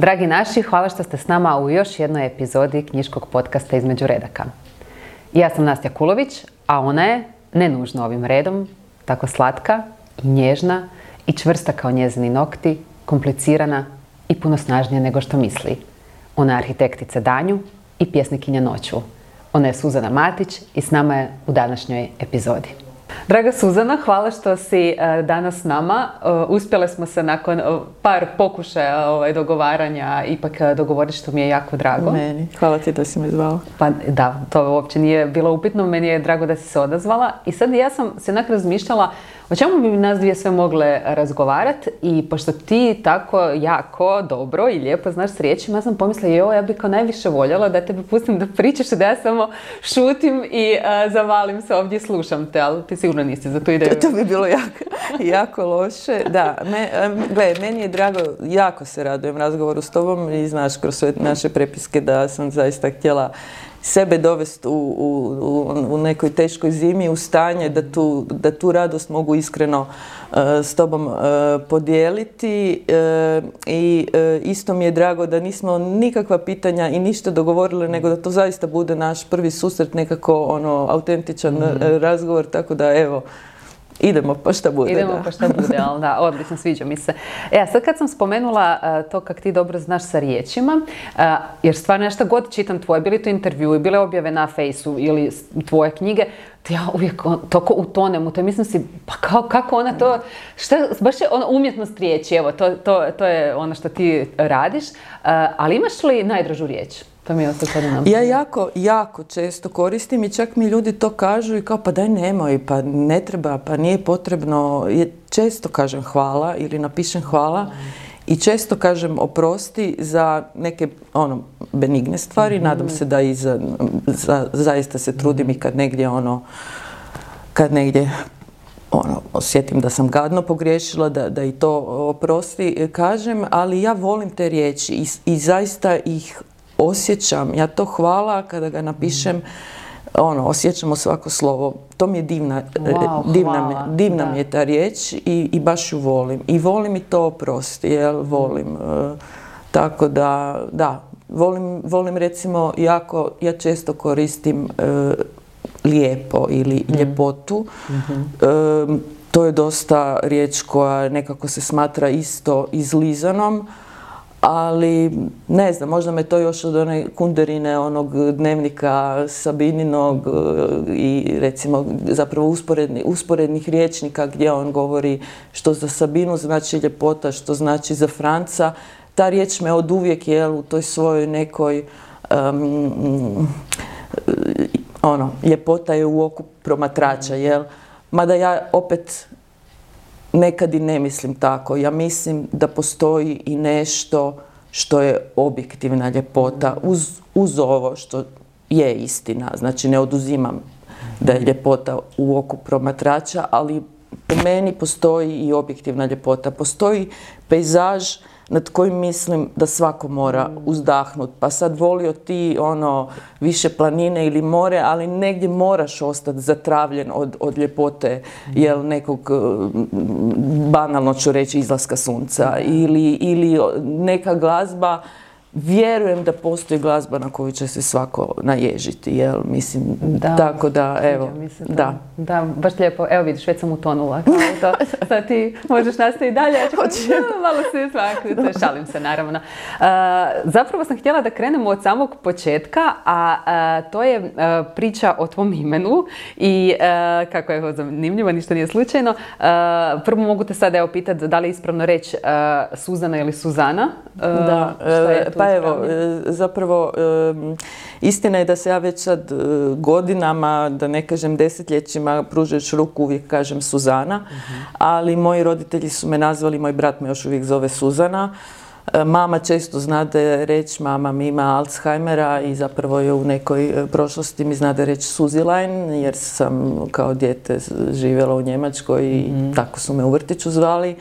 Dragi naši, hvala što ste s nama u još jednoj epizodi knjiškog podcasta Između redaka. Ja sam Nastja Kulović, a ona je, ne nužno ovim redom, tako slatka i nježna i čvrsta kao njezini nokti, komplicirana i puno snažnija nego što misli. Ona je arhitektica danju i pjesnikinja noću. Ona je Suzana Matić i s nama je u današnjoj epizodi. Draga Suzana, hvala što si danas s nama. Uspjele smo se nakon par pokušaja dogovaranja ipak dogovoriti, što mi je jako drago. Meni. Hvala ti da si me zvala. Pa da, to uopće nije bilo upitno. Meni je drago da si se odazvala. I sad ja sam se onak razmišljala o čemu bi nas dvije sve mogle razgovarati, i pošto ti tako jako dobro i lijepo znaš s riječima, ja sam pomislila, ja bih kao najviše voljela da tebe pustim da pričaš, da ja samo šutim i zavalim se ovdje i slušam te, ali ti sigurno nisi za tu ideju. To bi bilo jako loše. Da, meni je drago, jako se radujem razgovoru s tobom i znaš kroz sve naše prepiske da sam zaista htjela sebe dovesti u nekoj teškoj zimi u stanje da tu radost mogu iskreno s tobom podijeliti. I isto mi je drago da nismo nikakva pitanja i ništa dogovorili, nego da to zaista bude naš prvi susret, nekako autentičan razgovor, tako da evo, idemo pa šta bude. Ali da, odlično, sviđa mi se. Sad kad sam spomenula to kak ti dobro znaš sa riječima, jer stvarno nešto god čitam tvoje, bili to intervjui, bile objave na Fejsu ili tvoje knjige, ja uvijek toko utonem u to. Mislim si, pa kako ona to, baš je ona umjetnost riječi, evo, to je ono što ti radiš, ali imaš li najdražu riječ? To mi je ja jako često koristim i čak mi ljudi to kažu i kao pa daj nemoj, pa ne treba, pa nije potrebno. Često kažem hvala ili napišem hvala i često kažem oprosti za neke benigne stvari. Nadam se da i zaista se trudim i kad negdje osjetim da sam gadno pogriješila, da i to oprosti kažem, ali ja volim te riječi i zaista ih osjećam. Ja to hvala kada ga napišem, osjećamo svako slovo. To mi je divna mi je ta riječ i baš ju volim. I volim i to oprosti, volim. Tako da, volim recimo ja često koristim lijepo ili ljepotu. To je dosta riječ koja nekako se smatra isto izlizanom, ali ne znam, možda me to još od one Kunderine, onog dnevnika Sabininog i recimo zapravo usporednih rječnika gdje on govori što za Sabinu znači ljepota, što znači za Franca. Ta riječ me oduvijek u toj svojoj nekoj ljepota je u oku promatrača, mada ja opet nekad i ne mislim tako. Ja mislim da postoji i nešto što je objektivna ljepota uz ovo što je istina. Znači ne oduzimam da je ljepota u oku promatrača, ali po meni postoji i objektivna ljepota. Postoji pejzaž nad kojim mislim da svako mora uzdahnuti. Pa sad volio ti više planine ili more, ali negdje moraš ostati zatravljen od ljepote, nekog, banalno ću reći, izlaska sunca ili neka glazba. Vjerujem da postoji glazba na koju će se svako naježiti, mislim, tako da, evo, Da, baš lijepo, evo vidiš, već sam utonula, sad ti možeš nastaviti dalje, ja ću malo se smaknuti, šalim se naravno. Zapravo sam htjela da krenemo od samog početka, a to je priča o tvom imenu i kako je zanimljivo, ništa nije slučajno. Prvo mogu te sad pitati da li je ispravno reći Suzana ili Suzana? Da, pa evo, zapravo istina je da se ja već sad godinama, da ne kažem desetljećima, pružajući ruku uvijek kažem Suzana, ali moji roditelji su me nazvali, moj brat me još uvijek zove Suzana. Mama često znade reći, mama mi ima Alzheimera i zapravo je u nekoj prošlosti mi znade reći Suzilajn, jer sam kao dijete živjela u Njemačkoj i tako su me u vrtiću zvali.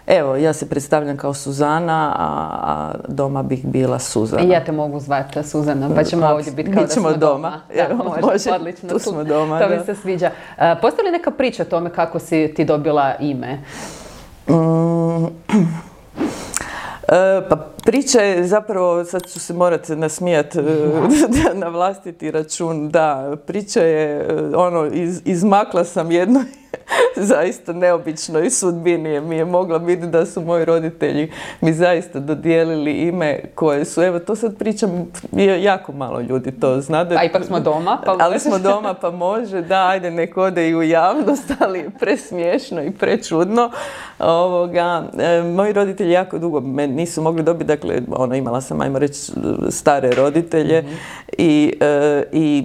Evo, ja se predstavljam kao Suzana, a doma bih bila Suzana. I ja te mogu zvati Suzana, pa ćemo ovdje biti kao da smo doma. Može, odlično. Tu smo doma. To mi se sviđa. Postoji li neka priča o tome kako si ti dobila ime? Pa priča je zapravo, sad ću se morati nasmijati na vlastiti račun, da, priča je, izmakla sam jednoj zaista neobičnoj sudbini. Mi je mogla biti da su moji roditelji mi zaista dodijelili ime koje su, evo to sad pričam, jako malo ljudi to zna. A ipak smo doma, pa ali smo doma, pa može, da, ajde nek ode i u javnost, ali presmiješno i prečudno. Moji roditelji jako dugo me nisu mogli dobiti, dakle, imala sam, ajmo reći, stare roditelje i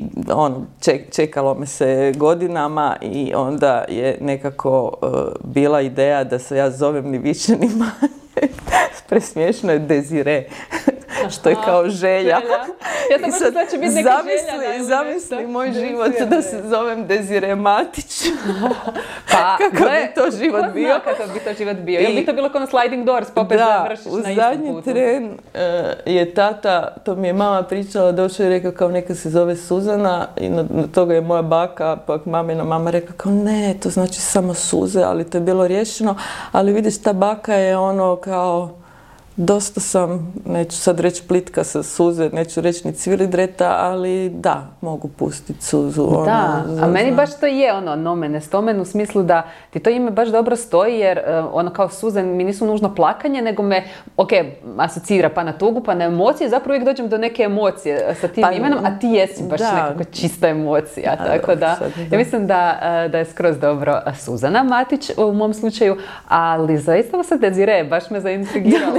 čekalo me se godinama i onda je nekako bila ideja da se ja zovem ni više ni manje. Presmiješno je Desire, što je kao želja. Ja sam mislila da će biti neka želja. Zamisli moj život da se zovem Desire Matić. Pa, kako bi to život bio? Kako bi to život bio? Jel bi to bilo kao na sliding doors, pa opet završiš na istom putu? Da, u zadnji tren je tata, to mi je mama pričala, došao i rekao kao neka se zove Suzana i na toga je moja baka, pa mamina mama rekla kao ne, to znači samo suze, ali to je bilo riješeno. Ali vidiš, ta baka je kao dosta sam, neću sad reći plitka sa suze, neću reći ni cvilidreta, ali da, mogu pustiti suzu. Da, a meni baš to je nomen est omen u smislu da ti to ime baš dobro stoji, jer kao suze mi nisu nužno plakanje, nego me, asocira pa na tugu, pa na emocije, zapravo uvijek dođem do neke emocije sa tim imenom, a ti jesi baš nekako čista emocija, tako da ja mislim da je skroz dobro Suzana Matić u mom slučaju, ali zaista se Desire, baš me zaintrigiralo.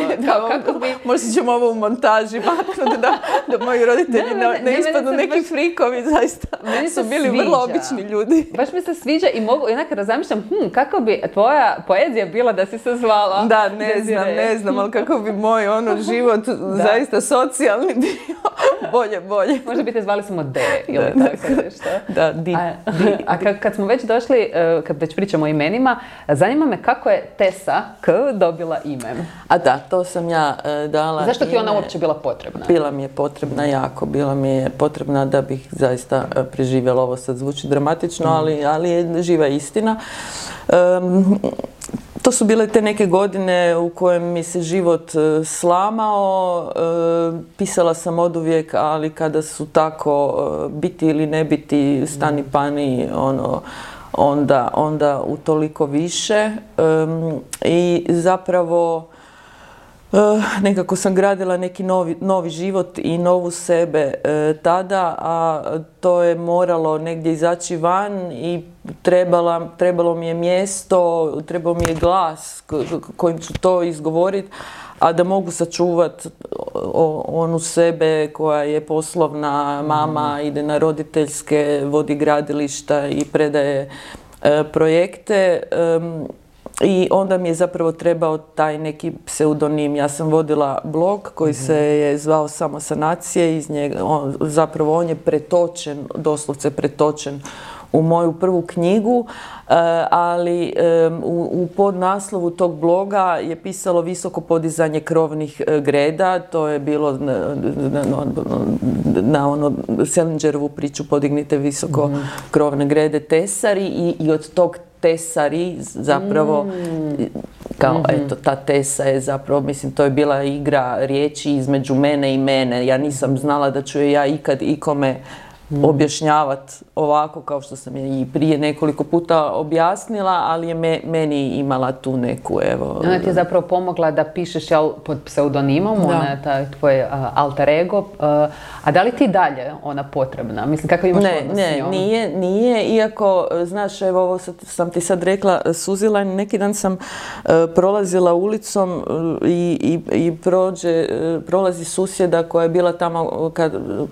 Možda ćemo ovo u montaži maknuti da moji roditelji ne ispadnu neki frikovi, zaista su bili vrlo obični ljudi. Baš mi se sviđa i mogu, jednako razmišljam, kako bi tvoja poezija bila da si se zvala? Da, ne znam, ali kako bi moj život zaista socijalni bio bolje. Možda bi te zvali samo D ili tako nešto. Da, Di. A kad smo već došli, kad već pričamo o imenima, zanima me kako je Tessa K dobila ime. A da, to sam ja dala. Zašto ti ona uopće bila potrebna? Bila mi je potrebna jako, bila mi je potrebna da bih zaista preživjela, ovo sad zvuči dramatično, ali je živa istina. To su bile te neke godine u kojem mi se život slamao, pisala sam oduvijek, ali kada su tako biti ili ne biti, stani pani, onda utoliko više. I zapravo nekako sam gradila neki novi život i novu sebe tada, a to je moralo negdje izaći van i trebalo mi je mjesto, trebao mi je glas kojim ću to izgovoriti, a da mogu sačuvati onu sebe koja je poslovna mama, ide na roditeljske, vodi gradilišta i predaje projekte. I onda mi je zapravo trebao taj neki pseudonim. Ja sam vodila blog koji se je zvao Samo sanacije. Iz njega, zapravo on je pretočen, doslovce pretočen u moju prvu knjigu, ali u podnaslovu tog bloga je pisalo visoko podizanje krovnih greda. To je bilo na Selingerovu priču Podignite visoko krovne grede tesari i od tog tesari zapravo, kao eto, ta tesa je zapravo, mislim, to je bila igra riječi između mene i mene. Ja nisam znala da ću je ja ikad ikome objašnjavati ovako kao što sam je i prije nekoliko puta objasnila, ali je meni imala tu neku, evo... Ona ti je zapravo pomogla da pišeš pod pseudonimom, ona je taj tvoj alter ego. A da li ti dalje ona potrebna? Mislim, kakav imaš odnos s njom? Nije, iako, znaš, evo, ovo sam ti sad rekla, Suzilajn, neki dan sam prolazila ulicom i prolazi susjeda koja je bila tamo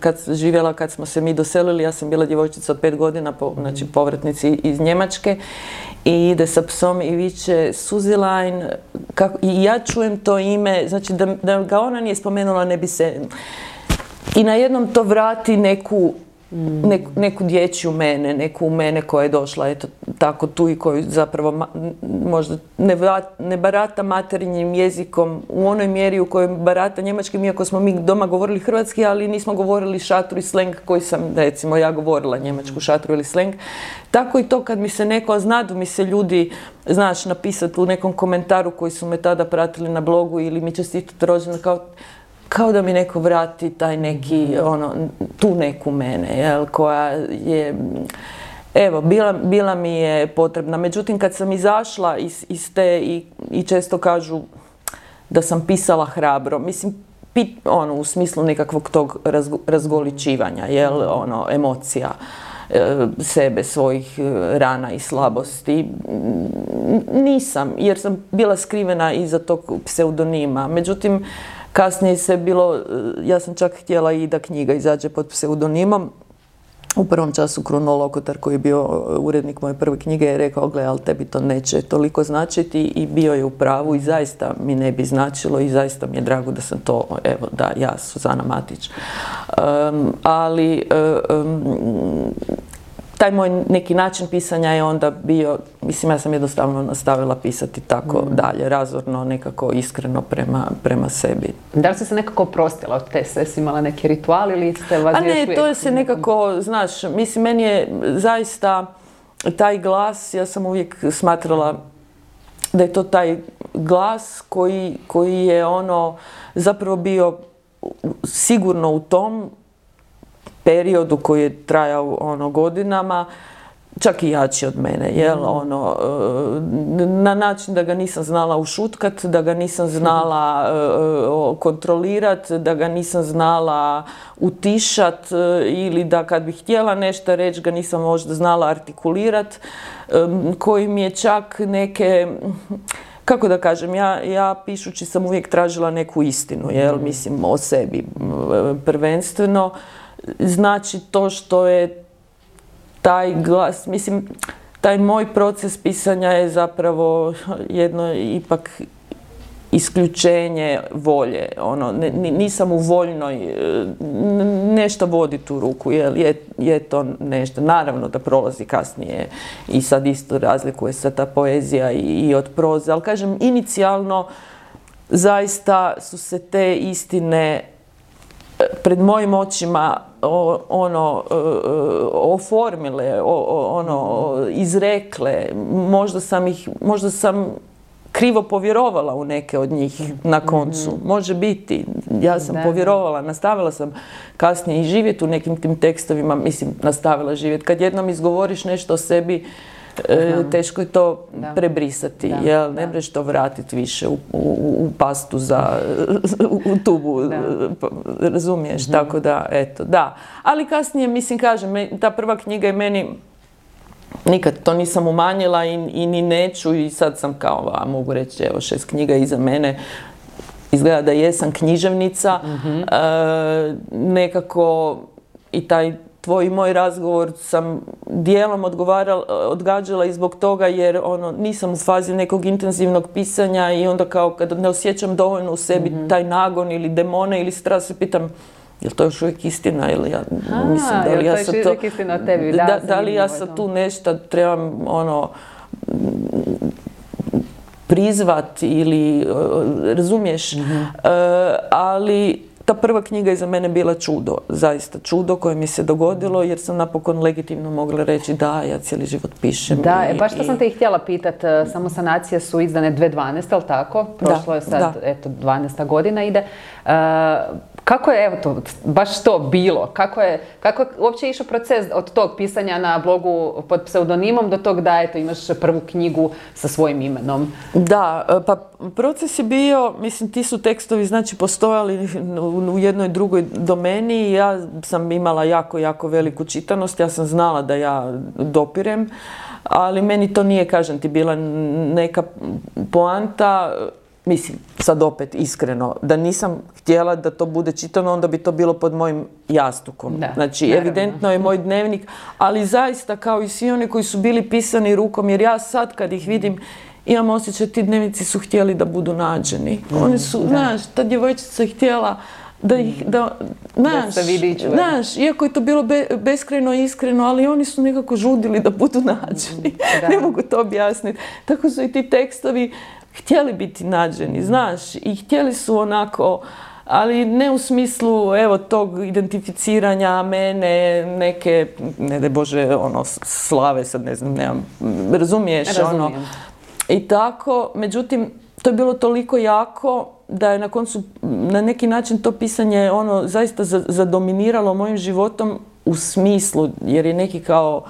kad živjela, kad smo se mi doselili, ja sam bila djevojčica od 5 godina, znači povratnici iz Njemačke, i ide sa psom i viče Suzilajn, i ja čujem to ime, znači da ga ona nije spomenula, ne bi se... I na jednom to vrati neku neku dječju mene, neku mene koja je došla eto tako tu i koju zapravo možda ne barata materinjim jezikom u onoj mjeri u kojoj barata njemačkim, iako smo mi doma govorili hrvatski, ali nismo govorili šatru i sleng koji sam, recimo, ja govorila njemačku šatru ili sleng. Tako i to kad mi se neko, znadu mi se ljudi, znaš, napisati u nekom komentaru koji su me tada pratili na blogu ili mi čestitati rođendan, kao da mi neko vrati taj neki, tu neku mene, jel, koja je, evo, bila mi je potrebna. Međutim, kad sam izašla iz te i često kažu da sam pisala hrabro, mislim, u smislu nekakvog tog razgoličivanja, jel, emocija sebe, svojih rana i slabosti. Nisam, jer sam bila skrivena iza tog pseudonima. Međutim, kasnije se bilo, ja sam čak htjela i da knjiga izađe pod pseudonimom. U prvom času Kruno Lokotar, koji je bio urednik moje prve knjige, je rekao, gle, ali tebi to neće toliko značiti, i bio je u pravu i zaista mi ne bi značilo i zaista mi je drago da sam to, evo, da, ja, Suzana Matić. Taj moj neki način pisanja je onda bio, mislim, ja sam jednostavno nastavila pisati tako dalje, razorno, nekako iskreno prema sebi. Da li si se nekako oprostila od te sve? Si imala neki ritual ili ste vas još uvijek? Ne, to je se nekako, znaš, mislim, meni je zaista taj glas, ja sam uvijek smatrala da je to taj glas koji je zapravo bio sigurno u tom periodu koji je trajao godinama, čak i jači od mene, jel, na način da ga nisam znala ušutkat, da ga nisam znala kontrolirat, da ga nisam znala utišat, ili da kad bih htjela nešto reći ga nisam možda znala artikulirat, koji mi je čak neke, kako da kažem, ja pišući sam uvijek tražila neku istinu, jel, mislim, o sebi prvenstveno. Znači, to što je taj glas, mislim, taj moj proces pisanja je zapravo jedno ipak isključenje volje. Nisam u voljnoj, nešto vodi tu ruku, je to nešto. Naravno da prolazi kasnije i sad isto razlikuje se ta poezija i od proze, ali kažem, inicijalno zaista su se te istine pred mojim očima oformile, izrekle. Možda sam krivo povjerovala u neke od njih na koncu. Može biti. Ja sam povjerovala, nastavila sam kasnije i živjeti u nekim tim tekstovima, mislim, nastavila živjeti. Kad jednom izgovoriš nešto o sebi, teško je to prebrisati, jel? Ne možeš to vratiti više u pastu u tubu, razumiješ, tako da, eto, da. Ali kasnije, mislim, kažem, ta prva knjiga je meni, nikad to nisam umanjila i ni neću, i sad sam kao, mogu reći, evo, 6 knjiga iza mene, izgleda da jesam književnica, nekako i taj tvoj i moj razgovor sam dijelom odgađala i zbog toga jer nisam u fazi nekog intenzivnog pisanja i onda kao kada ne osjećam dovoljno u sebi taj nagon ili demone ili strast, se pitam je li to još uvijek istina ili ja mislim da li ja sad to... Da li ja sad tu nešto trebam prizvat ili razumiješ, ali ta prva knjiga je za mene bila čudo, zaista čudo koje mi se dogodilo jer sam napokon legitimno mogla reći da, ja cijeli život pišem. Da, baš što sam te i htjela pitati, Samo sanacije su izdane 2012, ali tako? Prošlo je sad, eto, 12. godina ide. Kako je, evo to, baš to bilo? Kako je uopće išao proces od tog pisanja na blogu pod pseudonimom do tog da, eto, imaš prvu knjigu sa svojim imenom? Da, pa proces je bio, mislim, ti su tekstovi, znači, postojali u jednoj drugoj domeni i ja sam imala jako, jako veliku čitanost, ja sam znala da ja dopirem, ali meni to nije, kažem ti, bila neka poanta. Mislim, sad opet iskreno, da nisam htjela da to bude čitano, onda bi to bilo pod mojim jastukom. Znači, evidentno je moj dnevnik, ali zaista kao i svi oni koji su bili pisani rukom, jer ja sad kad ih vidim, imam osjećaj, ti dnevnici su htjeli da budu nađeni. Oni su, znaš, ta djevojčica je htjela se vidi i čuje. Znaš, iako je to bilo beskrajno iskreno, ali oni su nekako žudili da budu nađeni. Ne mogu to objasniti. Tako su i ti tekstovi htjeli biti nađeni, znaš, i htjeli su onako, ali ne u smislu, evo, tog identificiranja mene, neke, ne daj Bože, ono, slave, sad ne znam, nemam, razumiješ, ono. I tako, međutim, to je bilo toliko jako da je na koncu, na neki način to pisanje, ono, zaista zadominiralo mojim životom u smislu, jer je neki kao,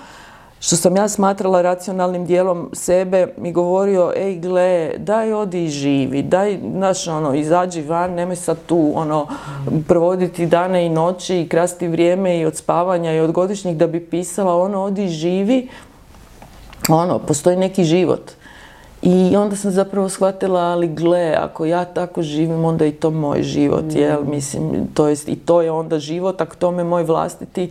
što sam ja smatrala racionalnim dijelom sebe, mi govorio, ej gle, daj odi i živi, daj, znaš, ono, izađi van, nemoj sad tu, ono, provoditi dane i noći i krasti vrijeme i od spavanja i od godišnjih da bi pisala, ono, odi i živi, ono, postoji neki život. I onda sam zapravo shvatila, ali gle, ako ja tako živim, onda je i to moj život, jel, mislim, to jest, i to je onda život, ako tome moj vlastiti.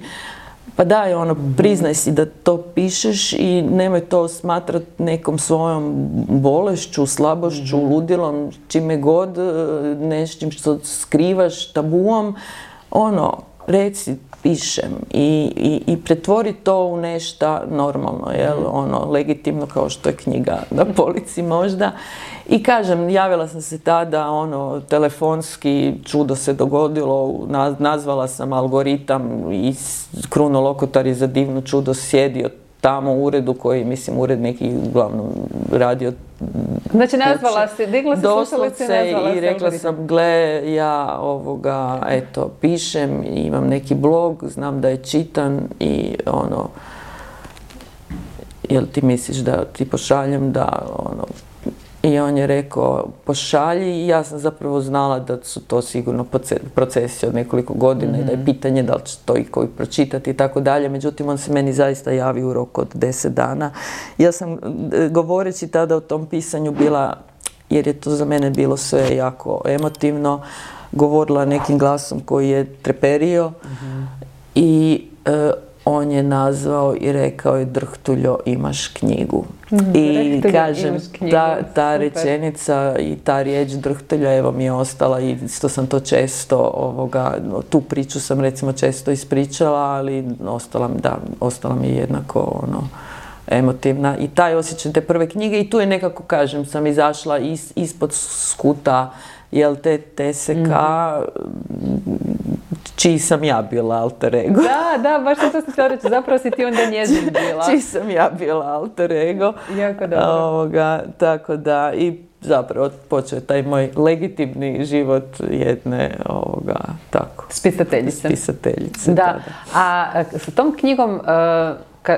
Pa daj, ono, priznaj si da to pišeš i nemoj to smatrati nekom svojom bolešću, slabošću, ludilom, čime god, nečim što skrivaš, tabuom, ono, reci, pišem i pretvori to u nešto normalno, jel, ono, legitimno kao što je knjiga na polici možda. I kažem, javila sam se tada, ono, telefonski, čudo se dogodilo, nazvala sam algoritam i Kruno Lokotar je za divno čudo sjedio tamo u uredu koji, mislim, ured neki uglavnom radio. Znači, nazvala se, digla se slušalice i nazvala se. I rekla sam, gle, ja eto, pišem, imam neki blog, znam da je čitan i ono, jel ti misliš da ti pošaljem da, ono, i on je rekao, pošalji, i ja sam zapravo znala da su to sigurno procesi od nekoliko godina i da je pitanje da li će to i koji pročitati i tako dalje. Međutim, on se meni zaista javi u roku od 10 dana. Ja sam, govoreći tada o tom pisanju, bila, jer je to za mene bilo sve jako emotivno, govorila nekim glasom koji je treperio i on je nazvao i rekao je, Drhtuljo, imaš knjigu. I kažem, ta rečenica i ta riječ Drhtulja, evo, mi je ostala, i što sam to često, tu priču sam recimo često ispričala, ali ostala mi je jednako, ono, emotivna. I taj osjećaj te prve knjige, i tu je nekako, kažem, sam izašla ispod skuta, jel, te TSK, čiji sam ja bila alter ego. Da, baš to sam htjela reći, zapravo si ti onda njezin bila. Čiji sam ja bila alter ego. Jako dobro. Tako da, i zapravo počeo je taj moj legitimni život jedne, tako. Spisateljice. Da. A sa tom knjigom,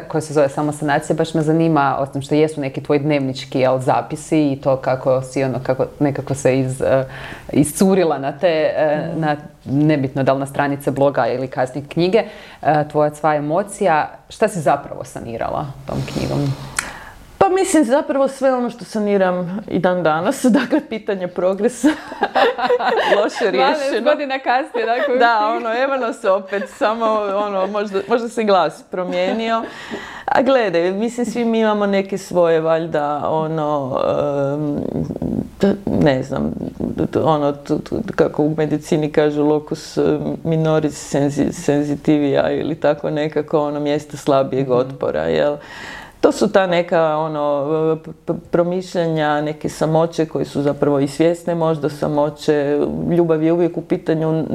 koja se zove samo Sanacija, baš me zanima, osim što jesu neki tvoji dnevnički zapisi i to kako si kako nekako se iscurila na te, na, nebitno da li na stranice bloga ili kasnije knjige, tvoja sva emocija. Šta si zapravo sanirala tom knjigom? Pa mislim, zapravo sve ono što saniram i dan danas, dakle, pitanje progresa, loše riješeno. 12 godina kasnije, dakle. Da, evo nas opet, samo, možda se glas promijenio. A gledaj, mislim, svi mi imamo neke svoje, valjda, ne znam, kako u medicini kažu, locus minoris sensitivia ili tako nekako, mjesto slabijeg otpora, jel? To su ta neka promišljanja, neke samoće koje su zapravo i svjesne možda samoće. Ljubav je uvijek u pitanju,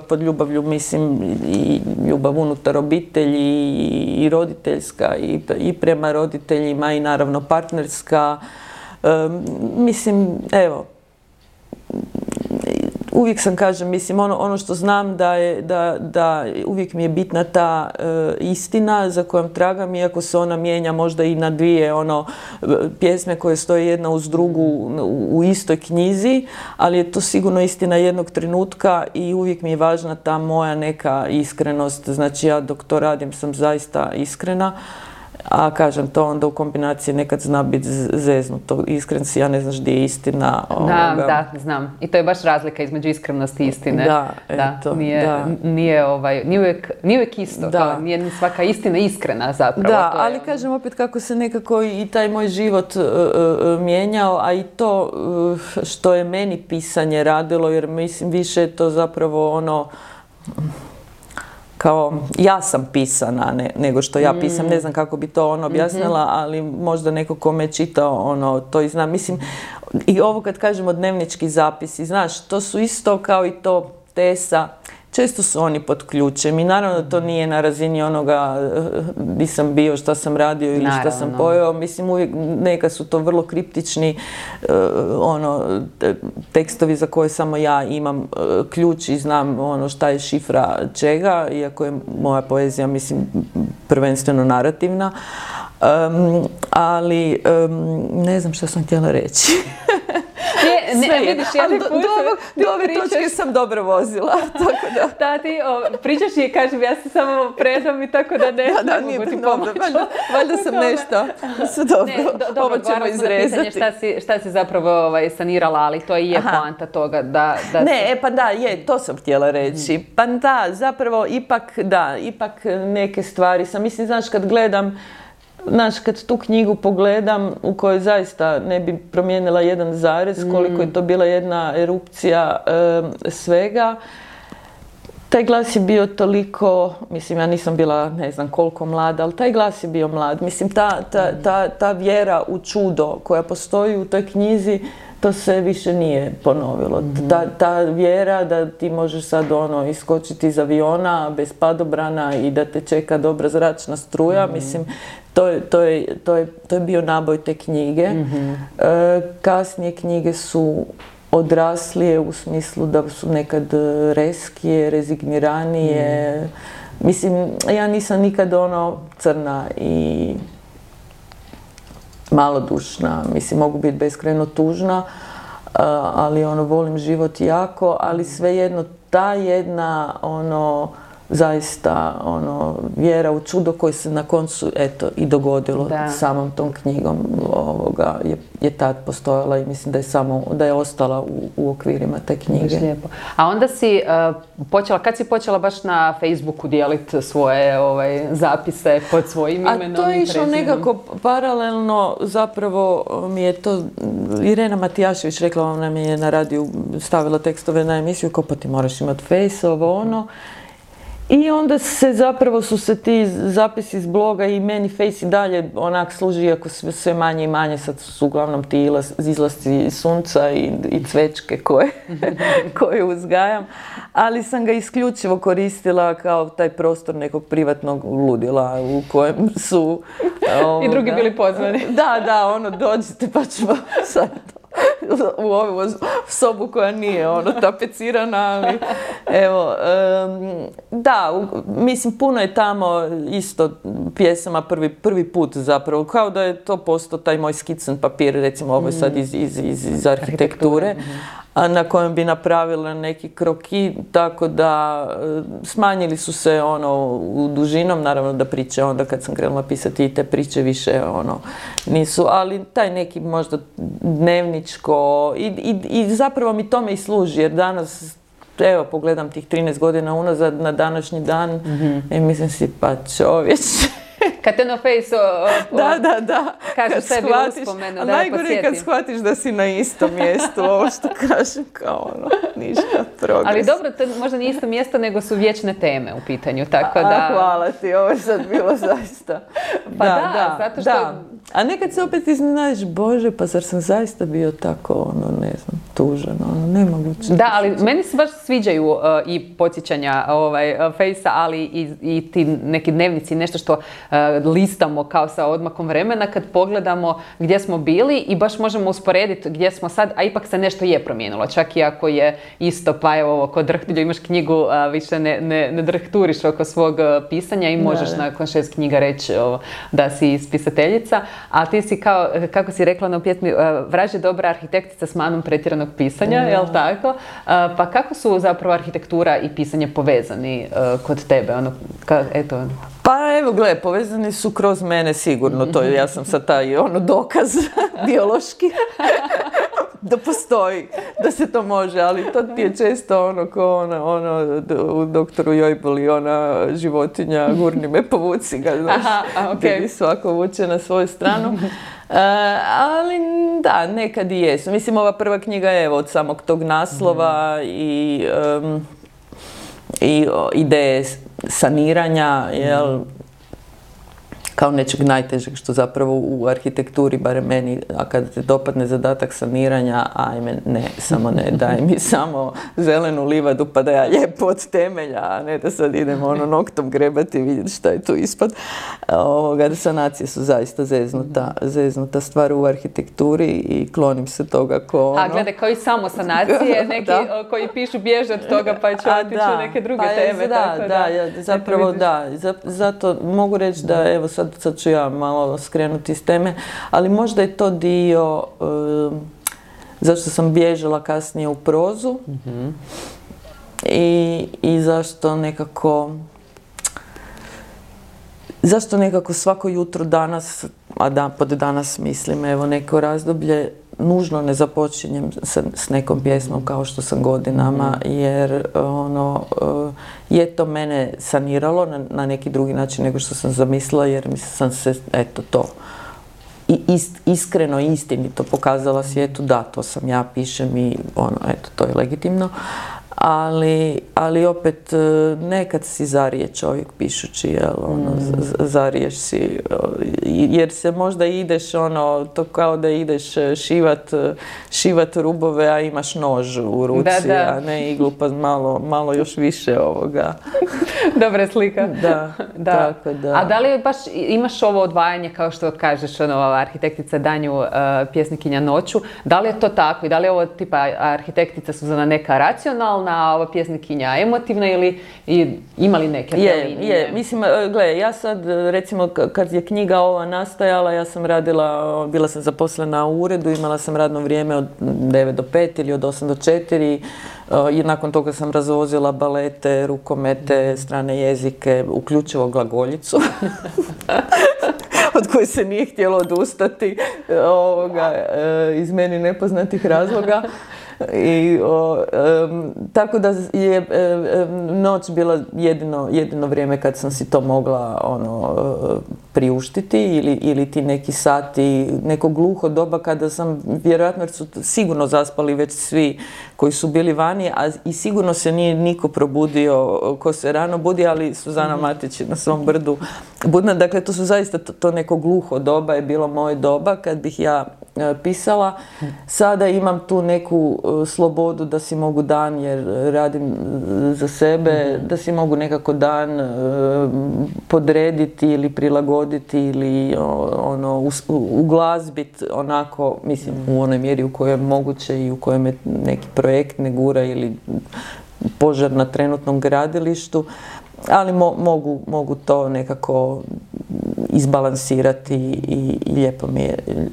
pod ljubavlju mislim i ljubav unutar obitelji i roditeljska i prema roditeljima i naravno partnerska. Mislim, evo, uvijek sam, kažem, mislim, ono što znam da uvijek mi je bitna ta istina za kojom tragam, iako se ona mijenja možda i na dvije pjesme koje stoje jedna uz drugu u istoj knjizi, ali je to sigurno istina jednog trenutka i uvijek mi je važna ta moja neka iskrenost. Znači, ja dok to radim sam zaista iskrena A kažem, to onda u kombinaciji nekad zna biti zeznuto. Iskren si, ja ne znaš gdje je istina. Da, znam. I to je baš razlika između iskrenosti i istine. Da, eto. Nije uvijek isto. Kao, nije ni svaka istina iskrena zapravo. Da, ali kažem opet kako se nekako i taj moj život mijenjao, a i to što je meni pisanje radilo, jer mislim više je to zapravo ono kao ja sam pisana nego što ja pisam. Ne znam kako bi to objasnila, ali možda neko ko me čitao to i znam. Mislim, i ovo kad kažemo dnevnički zapisi, znaš, to su isto kao i to Tesa. Često su oni pod ključem i naravno da to nije na razini onoga di sam bio, šta sam radio ili šta sam pojeo. Mislim, uvijek neka su to vrlo kriptični tekstovi za koje samo ja imam ključ i znam šta je šifra čega, iako je moja poezija, mislim, prvenstveno narativna. Ali ne znam šta sam htjela reći. Vidiš, do ove točke sam dobro vozila. Tako da. Da, ti pričaš i kažem, ja se samo predam i tako da ne mogu ti pomoći. Valjda sam nešto. Sve dobro, ovo ćemo izrezati. Šta si zapravo sanirala, ali to i je poanta toga da... To sam htjela reći. Pa da, zapravo ipak neke stvari sam, mislim, znaš, kad gledam, kad tu knjigu pogledam u kojoj zaista ne bi promijenila jedan zarez, koliko je to bila jedna erupcija svega, taj glas je bio toliko, mislim, ja nisam bila ne znam koliko mlada, ali taj glas je bio mlad. Mislim, ta vjera u čudo koja postoji u toj knjizi, to se više nije ponovilo. Ta vjera da ti možeš sad iskočiti iz aviona bez padobrana i da te čeka dobra zračna struja, mislim, to je bio naboj te knjige. Kasnije knjige su odraslije u smislu da su nekad reskije, rezigniranije. Mislim, ja nisam nikad crna i malodušna, mislim, mogu biti beskrajno tužna, ali volim život jako, ali svejedno ta jedna zaista vjera u čudo koje se na koncu i dogodilo samom tom knjigom je tad postojala i mislim da je ostala u okvirima te knjige. Lijepo. A onda si kad si počela baš na Facebooku dijeliti svoje zapise pod svojim imenom? A to je išlo nekako paralelno, zapravo mi je to Irena Matijašević rekla, ona mi je na radiju stavila tekstove na emisiju, kao pa ti moraš imati Face, I onda su se ti zapisi iz bloga i meni Face i dalje onak služi, iako sve manje i manje, sad su uglavnom ti izlasci sunca i cvečke koje uzgajam, ali sam ga isključivo koristila kao taj prostor nekog privatnog ludila u kojem su... I drugi bili pozvani. Da, dođite pa ćemo sad u ovu sobu koja nije tapecirana, ali evo, mislim, puno je tamo isto pjesama prvi put zapravo, kao da je to postao taj moj skicen papir, recimo ovo je sad iz arhitekture, na kojem bi napravila neki kroki, tako da smanjili su se u dužinom, naravno da priče onda kad sam krenula pisati i te priče više nisu, ali taj neki možda dnevničko i zapravo mi tome i služi, jer danas evo pogledam tih 13 godina unazad na današnji dan i mislim si pa čovječe. Kad te na Face-u kažeš sebi uspomenu, a najgore je kad shvatiš da si na istom mjestu, ovo što kažem kao ništa progres. Ali dobro, to možda nije isto mjesto, nego su vječne teme u pitanju, tako da... Hvala ti, ovo je sad bilo zaista. Zato što... A nekad se opet iznenadiš, Bože, pa zar sam zaista bio tako, ne znam, tužan, nemoguće. Da, ali meni se baš sviđaju i podsjećanja Face-a, ali i ti neki dnevnici, nešto što listamo kao sa odmakom vremena kad pogledamo gdje smo bili i baš možemo usporediti gdje smo sad, a ipak se nešto je promijenilo. Čak i ako je isto, pa evo, kod drhtilja imaš knjigu, više ne drhturiš oko svog pisanja i možeš nakon 6 knjiga reći da si spisateljica, a ti si kao, kako si rekla na pjesmi, vraže dobra arhitektica s manom pretjeranog pisanja, jel tako? Pa kako su zapravo arhitektura i pisanje povezani kod tebe? Pa evo, gle, povezani su kroz mene sigurno, to je, ja sam sad taj dokaz biološki da postoji, da se to može, ali to ti je često ko u doktoru Jojboli, ona životinja, gurni me, povuci ga, znaš, gdje svako vuče na svoju stranu. Ali da, nekad i jesu. Mislim, ova prva knjiga je od samog tog naslova i ideje saniranja, jel, kao nečeg najtežeg što zapravo u arhitekturi, barem meni, a kada te dopadne zadatak saniranja, ajme, ne, samo ne, daj mi samo zelenu livadu pa da ja lijepo od temelja, a ne da sad idem noktom grebati i vidjeti šta je tu ispod. Sanacije su zaista zeznuta stvar u arhitектuri i klonim se toga A gledaj, kao i samo sanacije, neki koji pišu bježe od toga pa će otići u neke druge teme. Zapravo da, zato mogu reći da, evo sad ću ja malo skrenuti iz teme, ali možda je to dio zašto sam bježala kasnije u prozu i zašto nekako svako jutro danas, pod danas mislim, evo neko razdoblje, nužno ne započinjem s nekom pjesmom kao što sam godinama, jer je to mene saniralo na neki drugi način nego što sam zamislila, jer sam se, iskreno i istinito pokazala svijetu, da, to sam ja, pišem i to je legitimno. Ali opet nekad si zarije čovjek pišući, jel, zariješ si, jer se možda ideš to kao da ideš šivat rubove, a imaš nož u ruci, a ne iglu, pa malo još više ovoga. Dobra slika. Da. Tako da. A da li baš imaš ovo odvajanje, kao što kažeš, arhitektica danju, pjesnikinja noću, da li je to tako i da li je ovo tipa arhitektica Suzana neka racionalna, a ova pjesnikinja emotivna ili ima li neke te linije? Je. Mislim, gle, ja sad, recimo, kad je knjiga ova nastajala, ja sam bila sam zaposlena u uredu, imala sam radno vrijeme od 9 do 5 ili od 8 do 4 i nakon toga sam razvozila balete, rukomete, strane jezike, uključivo glagoljicu. Od koje se nije htjelo odustati iz meni nepoznatih razloga. Tako da je noć bila jedino vrijeme kad sam si to mogla priuštiti ili ti neki sati, neko gluho doba kada sam, vjerojatno jer su sigurno zaspali već svi koji su bili vani, a i sigurno se nije niko probudio ko se rano budi, ali Suzana Matić na svom brdu budna. Dakle, to su zaista to neko gluho doba je bilo moje doba kad bih ja pisala. Sada imam tu neku slobodu da si mogu dan, jer radim za sebe, da si mogu nekako dan podrediti ili prilagoditi ili uglazbiti onako, mislim, u onoj mjeri u kojoj je moguće i u kojoj me neki projekt ne gura ili požar na trenutnom gradilištu, ali mogu to nekako izbalansirati i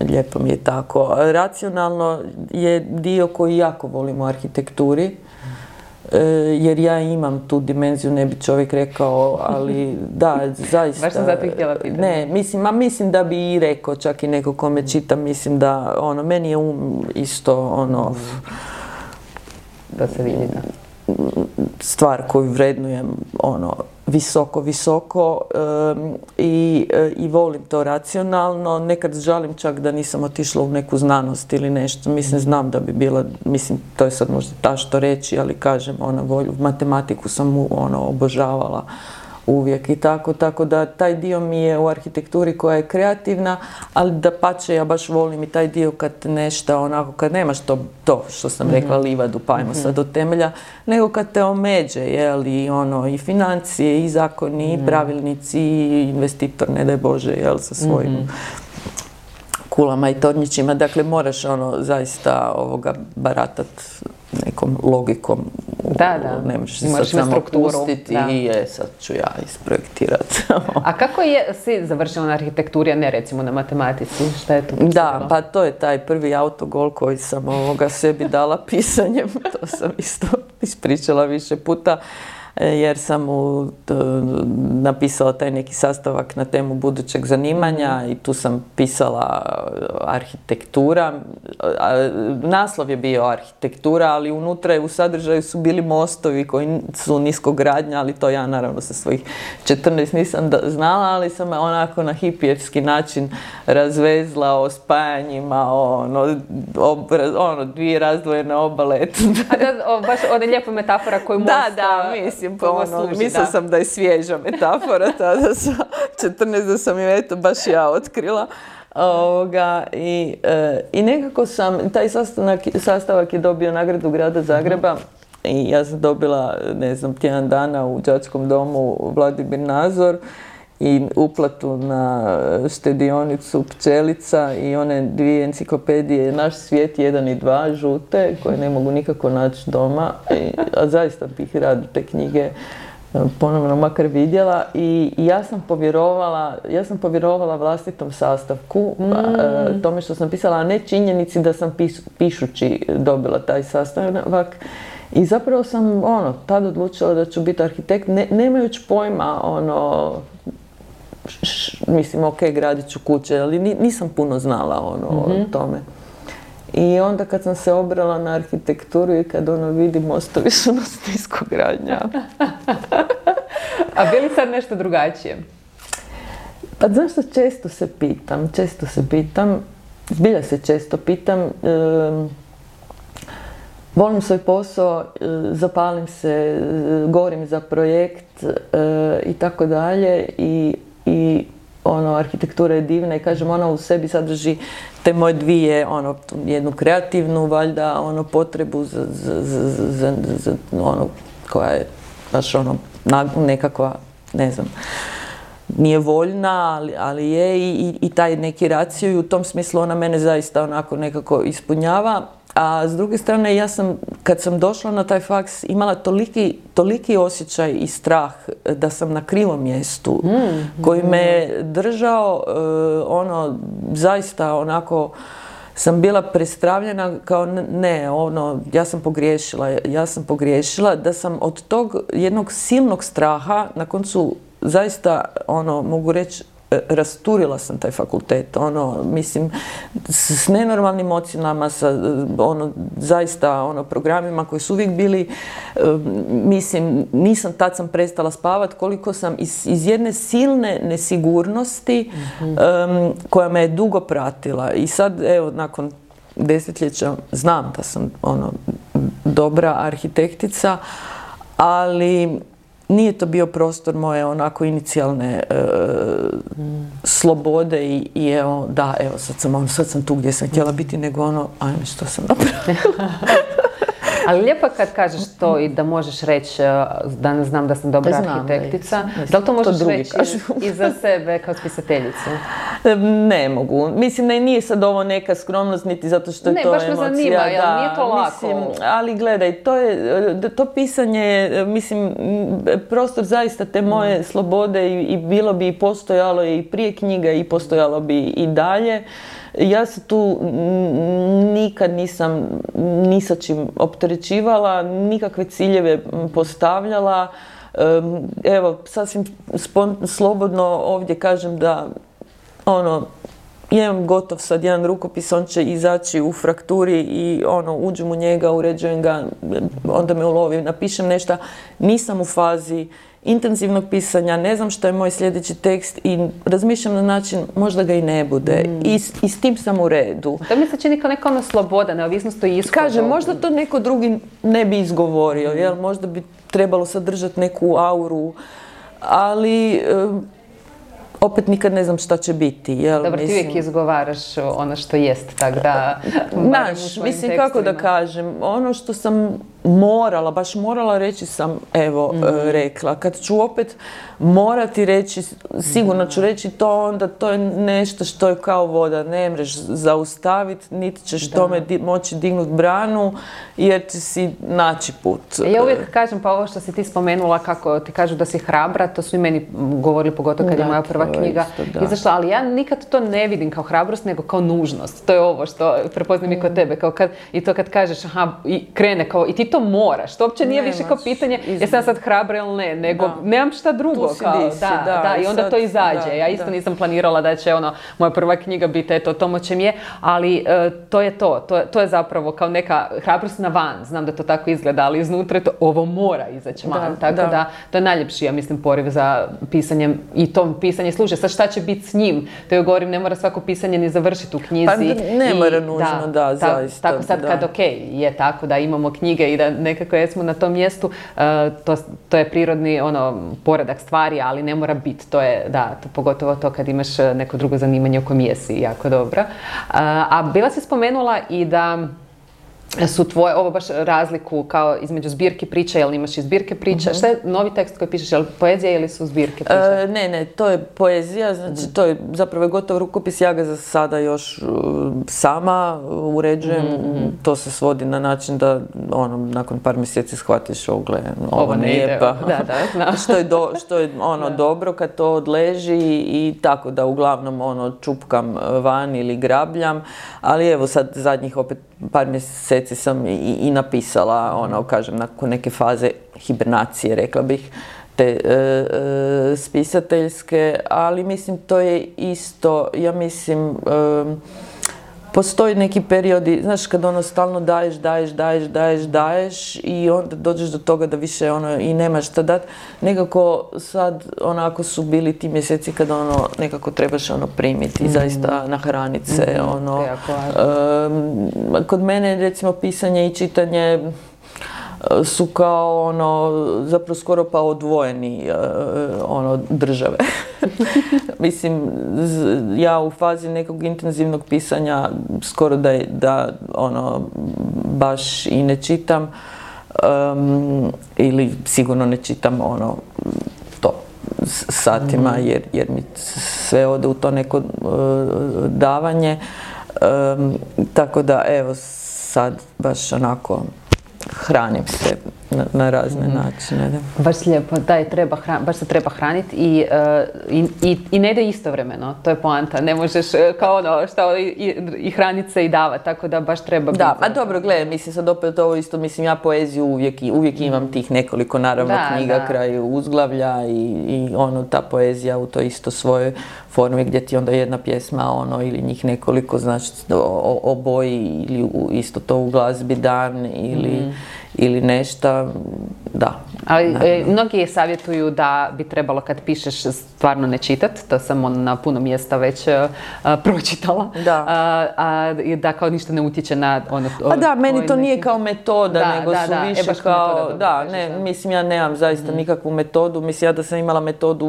lijepo mi je tako. Racionalno je dio koji jako volim u arhitekturi, jer ja imam tu dimenziju, ne bi čovjek rekao, ali da, zaista. Baš sam zato htjela pitati. Ne, mislim da bi i rekao, čak i neko kome čitam, mislim da meni je isto da se vidi, da. Stvar koju vrednujem visoko i volim to racionalno. Nekad žalim čak da nisam otišla u neku znanost ili nešto. Mislim, znam da bi bila, mislim, to je sad možda tašto reći, ali kažem, matematiku sam obožavala uvijek i tako da taj dio mi je u arhitekturi koja je kreativna, ali dapače ja baš volim i taj dio kad nešto onako, kad nemaš to što sam rekla livadu pa ajmo sad do temelja, nego kad te omeđe, jel, i financije i zakoni i pravilnici i investitor, ne daj Bože, jel, sa svojim kulama i tornjićima, dakle moraš zaista baratat nekom logikom. Da. Ne možeš se sad samo pustiti i sad ću ja isprojektirati. A kako si završila na arhitekturi, a ne recimo na matematici? Šta je to? Da, pa to je taj prvi autogol koji sam sebi dala pisanjem. To sam isto ispričala više puta. jer sam mu napisala taj neki sastavak na temu budućeg zanimanja i tu sam pisala arhitektura. Naslov je bio arhitektura, ali unutra u sadržaju su bili mostovi koji su niskogradnja, ali to ja naravno sa svojih 14 nisam znala, ali sam onako na hipijevski način razvezla o spajanjima, dvije razdvojene obale. A da, baš ona lijepa metafora koju most mislim, mislila sam da je svježa metafora tada sa 14 da sam ju baš ja otkrila. I nekako sam, taj sastavak je dobio nagradu Grada Zagreba i ja sam dobila, tjedan dana u đačkom domu Vladimir Nazor i uplatu na štedionicu Pčelica i one dvije enciklopedije Naš svijet 1 i 2 žute koje ne mogu nikako naći doma, a zaista bih rado te knjige ponovno makar vidjela i ja sam povjerovala vlastitom sastavku, tome što sam pisala, a ne činjenici da sam pišući dobila taj sastavak. I zapravo sam tad odlučila da ću biti arhitekt, nemajući pojma, mislim, gradit ću kuće, ali nisam puno znala o tome. I onda kad sam se obrala na arhitekturu i kad vidim mostovi su nas niskogradnja. A bi li sad nešto drugačije? Pa znaš što, često se pitam, zbilja se često pitam, volim svoj posao, zapalim se, govorim za projekt i tako dalje i arhitektura je divna i kažem, ona u sebi sadrži te moje dvije, jednu kreativnu valjda, potrebu za koja je baš nekakva, ne znam, nije voljna, ali je i taj neki raciju i u tom smislu ona mene zaista onako nekako ispunjava. A s druge strane, ja sam, kad sam došla na taj faks, imala toliki osjećaj i strah da sam na krivom mjestu, koji me držao, zaista onako, sam bila prestravljena kao ja sam pogriješila, da sam od tog jednog silnog straha, na koncu zaista, mogu reći, rasturila sam taj fakultet, mislim, s nenormalnim ocjenama, sa, zaista, programima koji su uvijek bili, mislim, tad sam prestala spavat, koliko sam iz jedne silne nesigurnosti, koja me je dugo pratila. I sad, evo, nakon desetljeća, znam da sam, dobra arhitektica, ali nije to bio prostor moje onako inicijalne slobode i evo, sad sam tu gdje sam htjela biti, nego ajme što sam napravila. Ali lijepo kad kažeš to i da možeš reći da ne znam da sam dobra arhitektica. Da li to možeš reći i za sebe kao spisateljicu? Ne mogu. Mislim da nije sad ovo neka skromnost, niti zato što je to emocija. Ne, baš me zanima, jer nije to lako. Mislim, ali gledaj, to pisanje, mislim, prostor zaista te moje slobode i bilo bi i postojalo i prije knjiga i postojalo bi i dalje. Ja se tu nikad nisam ni sa čim opterećivala, nikakve ciljeve postavljala. Evo, sasvim slobodno ovdje kažem da imam gotov sad jedan rukopis, on će izaći u frakturi i uđem u njega, uređujem ga, onda me ulovi, napišem nešto, nisam u fazi intenzivnog pisanja, ne znam što je moj sljedeći tekst i razmišljam na način možda ga i ne bude. I s tim sam u redu. To mi se čini kao neka sloboda, neovisnost o ishodu. Kažem, možda to neko drugi ne bi izgovorio, jel? Možda bi trebalo sadržati neku auru, ali opet nikad ne znam šta će biti. Jel? Dobro, ti uvijek izgovaraš ono što jest, tako da... Mislim, kako da kažem, ono što sam baš morala reći sam, evo, rekla. Kad ću opet morati reći, sigurno ću reći to, onda to je nešto što je kao voda. Ne mreš zaustaviti, niti ćeš tome moći dignuti branu, jer će si naći put. Ja uvijek kažem, pa ovo što si ti spomenula, kako ti kažu da si hrabra, to su i meni govorili, pogotovo kad je moja prva knjiga izašla, ali ja nikad to ne vidim kao hrabrost, nego kao nužnost. To je ovo što prepoznam i kod tebe, kao kad, i to kad kažeš, aha, i krene, kao, i ti to moraš, to uopće nije više kao pitanje jesam ja sad hrabra ili ne, nego nemam šta drugo. I onda to izađe. Ja isto nisam planirala da će moja prva knjiga biti eto to moće mi je, ali to je to je zapravo kao neka hrabrost na van, znam da to tako izgleda, ali iznutra je to, ovo mora izaći van, tako da to je najljepši, ja mislim, poriv za pisanjem i to pisanje služe. Sad šta će biti s njim? To joj govorim, ne mora svako pisanje ni završiti u knjizi. Pa ne mora nužno, zaista. Tako sad kad je tako da imamo knjige i da nekako jesmo na tom mjestu, to je prirodni poredak stvari, ali ne mora biti. To je, pogotovo to kad imaš neko drugo zanimanje u kojem jesi jako dobro. A bila si spomenula i da su tvoje, ovo baš razliku kao između zbirke priča, jel imaš i zbirke priča? Šta je novi tekst koji pišeš, je li poezija ili su zbirke priča? Ne, to je poezija, znači to je zapravo gotov rukopis, ja ga za sada još sama uređujem, to se svodi na način da nakon par mjeseci shvatiš ovo nije pa, što je dobro kad to odleži i tako da uglavnom čupkam van ili grabljam, ali evo sad zadnjih opet par mjeseci sam i napisala, kažem, nakon neke faze hibernacije, rekla bih, te spisateljske, ali mislim to je isto, ja mislim, postoji neki periodi, znaš, kad stalno daješ i onda dođeš do toga da više i nemaš šta dat. Nekako sad, ako su bili ti mjeseci kad nekako trebaš primiti, zaista nahraniti se, kod mene recimo pisanje i čitanje su kao zapravo skoro pa odvojeni države. Mislim, ja u fazi nekog intenzivnog pisanja skoro da baš i ne čitam ili sigurno ne čitam to satima jer mi sve ode u to neko davanje. Tako da evo sad baš onako hranim se na razne načine. Da. Baš lijepo, baš se treba hraniti i ne ide istovremeno, to je poanta, ne možeš kao i hraniti se i davati, tako da baš treba biti. Da, dobro, gledaj, mislim sad opet ovo isto, mislim ja poeziju uvijek imam tih nekoliko naravno knjiga kraj uzglavlja i ta poezija u toj isto svojoj formi gdje ti onda jedna pjesma ili njih nekoliko, znači oboji ili isto to u glazbi dan ili nešto, da. Ali mnogi savjetuju da bi trebalo kad pišeš stvarno ne čitati, to sam na puno mjesta već pročitala, da kao ništa ne utječe na Pa da, meni to nije kao metoda, nego su više kao, mislim ja nemam zaista nikakvu metodu, mislim ja da sam imala metodu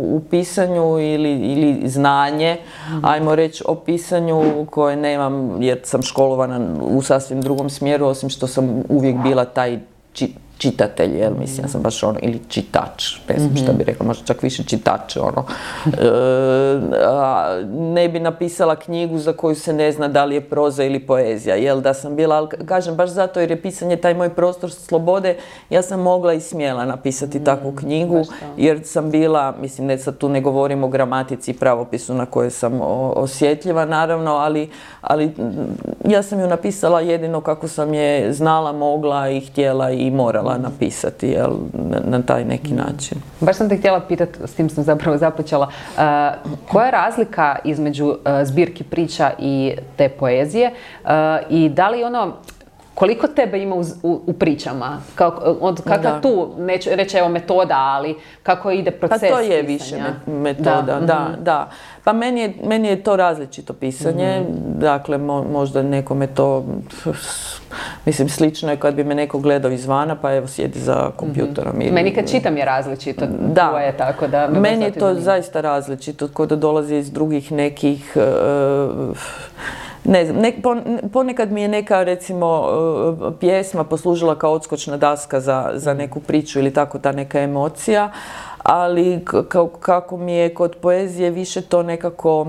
u pisanju ili znanje, ajmo reći o pisanju koje nemam jer sam školovana u sasvim drugom smjeru, osim što sam uvijek bila taj čitatelj, jel, mislim, ja sam baš ili čitač, ne znam šta bi rekla, možda čak više čitač, ne bi napisala knjigu za koju se ne zna da li je proza ili poezija, jel, da sam bila, ali kažem, baš zato jer je pisanje taj moj prostor slobode, ja sam mogla i smjela napisati takvu knjigu, jer sam bila, mislim, ne sad tu ne govorim o gramatici i pravopisu na koje sam osjetljiva, naravno, ali ja sam ju napisala jedino kako sam je znala, mogla i htjela i morala napisati, jel, na taj neki način. Baš sam te htjela pitati, s tim sam zapravo započela, koja je razlika između zbirki priča i te poezije i da li koliko tebe ima u pričama? Kakva tu, neću reći evo metoda, ali kako ide proces pisanja? Pa to je više metoda, da. Pa meni je to različito pisanje, dakle možda nekome to, mislim slično je kad bi me neko gledao izvana pa evo sjedi za kompjuterom. Meni kad čitam je različito, tvoje, tako da... Meni je to zaista različito, kod da dolazi iz drugih nekih... Ne znam, ponekad mi je neka, recimo, pjesma poslužila kao odskočna daska za neku priču ili tako ta neka emocija, ali kako mi je kod poezije više to nekako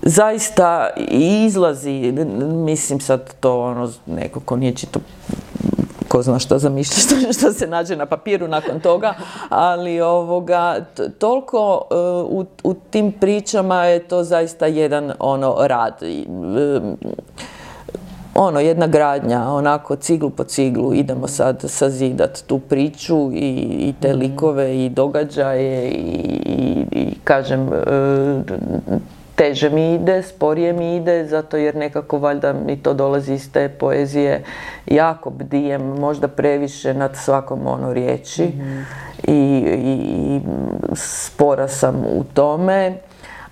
zaista izlazi, mislim sad to neko ko nije čito ko zna šta zamišlja, što se nađe na papiru nakon toga, ali toliko u tim pričama je to zaista jedan rad. jedna gradnja, onako ciglu po ciglu, idemo sad sazidat tu priču i te likove i događaje i kažem, teže mi ide, sporije mi ide, zato jer nekako valjda mi to dolazi iz te poezije. Jako bdijem, možda previše nad svakom riječi i spora sam u tome,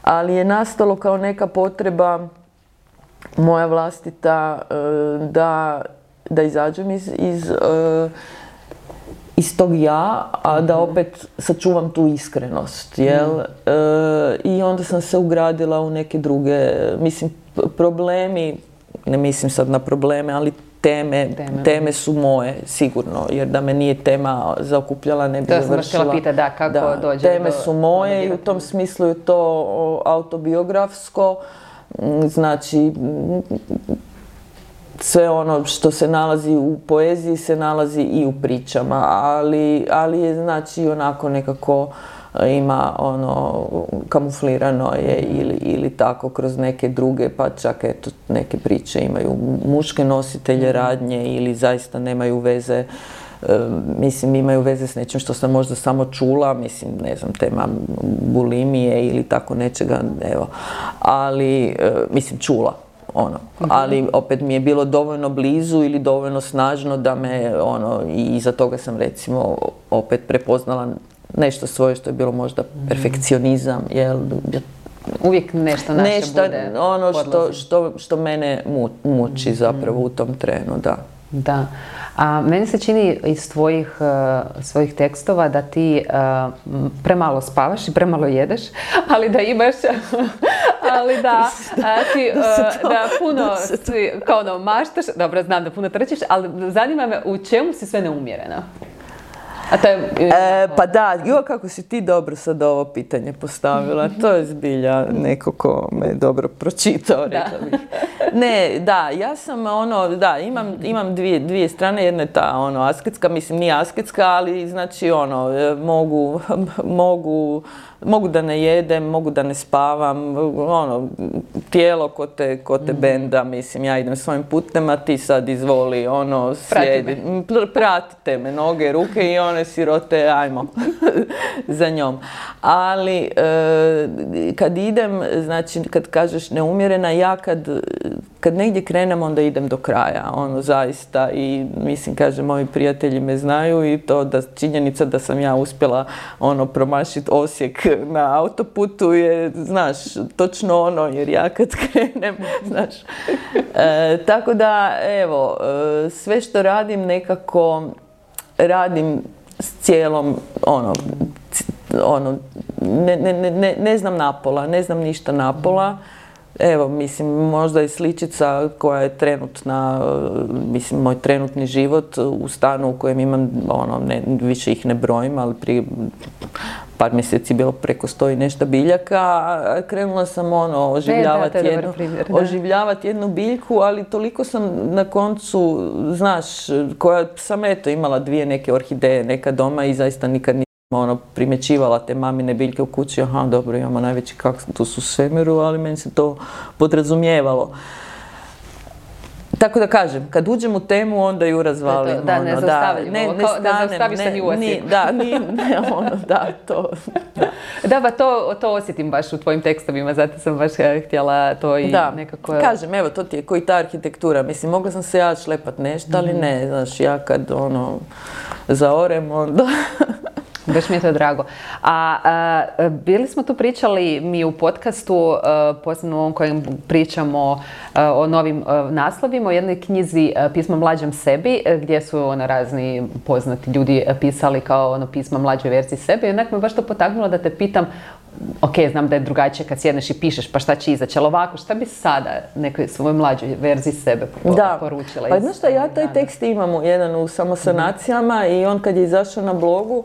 ali je nastalo kao neka potreba moja vlastita da izađem iz tog ja, a da opet sačuvam tu iskrenost, jel? I onda sam se ugradila u neke druge, mislim, problemi, ne mislim sad na probleme, ali teme su moje, sigurno, jer da me nije tema zaokupljala, ne bi završila. To sam htjela pitati, kako dođe teme su moje i u tom smislu je to autobiografsko, znači sve ono što se nalazi u poeziji se nalazi i u pričama, ali je znači onako nekako ima kamuflirano je ili tako kroz neke druge, pa čak eto neke priče imaju muške nositelje radnje ili zaista nemaju veze, mislim imaju veze s nečim što sam možda samo čula, mislim ne znam, tema bulimije ili tako nečega, evo, ali mislim čula. Ali opet mi je bilo dovoljno blizu ili dovoljno snažno da me i iza toga sam recimo opet prepoznala nešto svoje što je bilo možda perfekcionizam, jel? Uvijek nešto naše bude što mene muči zapravo u tom trenu, da. Da. A meni se čini iz svojih tekstova da ti premalo spavaš i premalo jedeš, ali da imaš, ali da puno kao maštaš, dobro znam da puno trčiš, ali zanima me u čemu si sve neumjerena. Pa da, kako si ti dobro sad ovo pitanje postavila, to je zbilja neko ko me dobro pročitao, rekla bih. Ne, da, ja sam imam dvije strane, jedna je ta asketska, mislim nije asketska, ali znači mogu da ne jedem, mogu da ne spavam, tijelo ko te benda, mislim, ja idem svojim putem, a ti sad izvoli, slijedi, pratite me, noge, ruke i one sirote, ajmo, za njom. Ali, kad idem, znači, kad kažeš neumjerena, ja kad negdje krenem, onda idem do kraja, zaista, i mislim, kaže, moji prijatelji me znaju i to da činjenica da sam ja uspjela, promašiti Osijek na autoputu je, znaš, točno jer ja kad krenem, znaš. Tako da, evo, sve što radim nekako radim s cijelom, ne znam napola, ne znam ništa napola. Evo, mislim, možda je sličica koja je trenutna, mislim, moj trenutni život u stanu u kojem imam, više ih ne brojim, ali prije par mjeseci bilo preko 100 i nešto biljaka, a krenula sam oživljavati jednu biljku, ali toliko sam na koncu, znaš, koja sam imala dvije neke orhideje neka doma i zaista nikad primjećivala te mamine biljke u kući, aha, dobro, imamo najveći kaktus u svemiru, ali meni se to podrazumijevalo. Tako da kažem, kad uđem u temu, onda ju razvalim. Da, ne zaustaviš se ni u Osijeku. Da, pa to osjetim baš u tvojim tekstovima, zato sam baš htjela to i nekako... Kažem, evo, to ti je koji ta arhitektura. Mislim, mogla sam se ja šlepat nešto, ali ne, znaš, ja kad zaorem, onda... Baš mi je to drago. A bili smo tu pričali mi u podcastu, posebno ovom kojem pričamo o novim naslovima, o jednoj knjizi Pisma mlađem sebi, gdje su razni poznati ljudi pisali kao pisma mlađoj verziji sebe. I onak me baš to potaknulo da te pitam, ok, znam da je drugačije kad sjedneš i pišeš, pa šta će izaći, ali ovako, šta bi sada nekoj svojoj mlađoj verziji sebe poručila? Pa znaš šta, ja taj tekst imam jedan u Samosanacijama i on kad je izašao na blogu,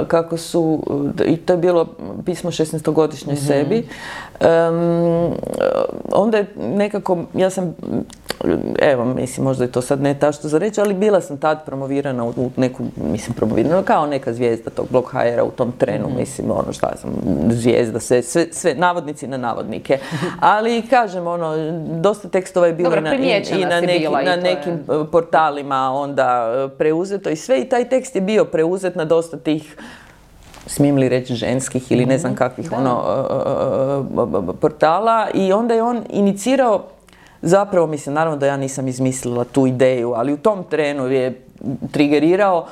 kako su, i to je bilo pismo 16-godišnjoj sebi, onda je nekako, ja sam evo, mislim, možda je to sad ne tašto za reći, ali bila sam tad promovirana u neku, mislim, promovirana kao neka zvijezda tog blog HR-a u tom trenu, mislim, ono šta sam, zvijezda, sve navodnici na navodnike. Ali, kažem, ono, dosta tekstova je bilo na nekim portalima onda preuzeto i sve, i taj tekst je bio preuzet na dosta tih, smijem li reći, ženskih ili ne znam kakvih portala, i onda je on inicirao, zapravo, mislim, naravno da ja nisam izmislila tu ideju, ali u tom trenu je trigerirao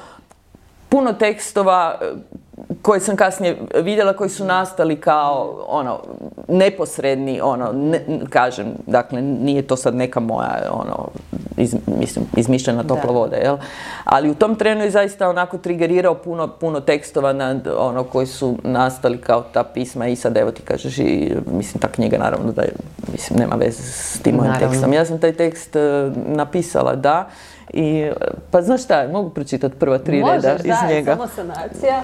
puno tekstova koje sam kasnije vidjela, koji su nastali kao ono neposredni, ono, kažem, dakle nije to sad neka moja ono, mislim, izmišljena topla voda, jel? Ali u tom trenu je zaista onako trigerirao puno tekstova ono, koji su nastali kao ta pisma, i sad evo ti kažeš, i mislim ta knjiga naravno da je, mislim, nema veze s tim mojim tekstom. Ja sam taj tekst napisala, da. I, pa znaš šta, mogu pročitati prva 3 reda iz njega. Možeš, da, samo sanacija.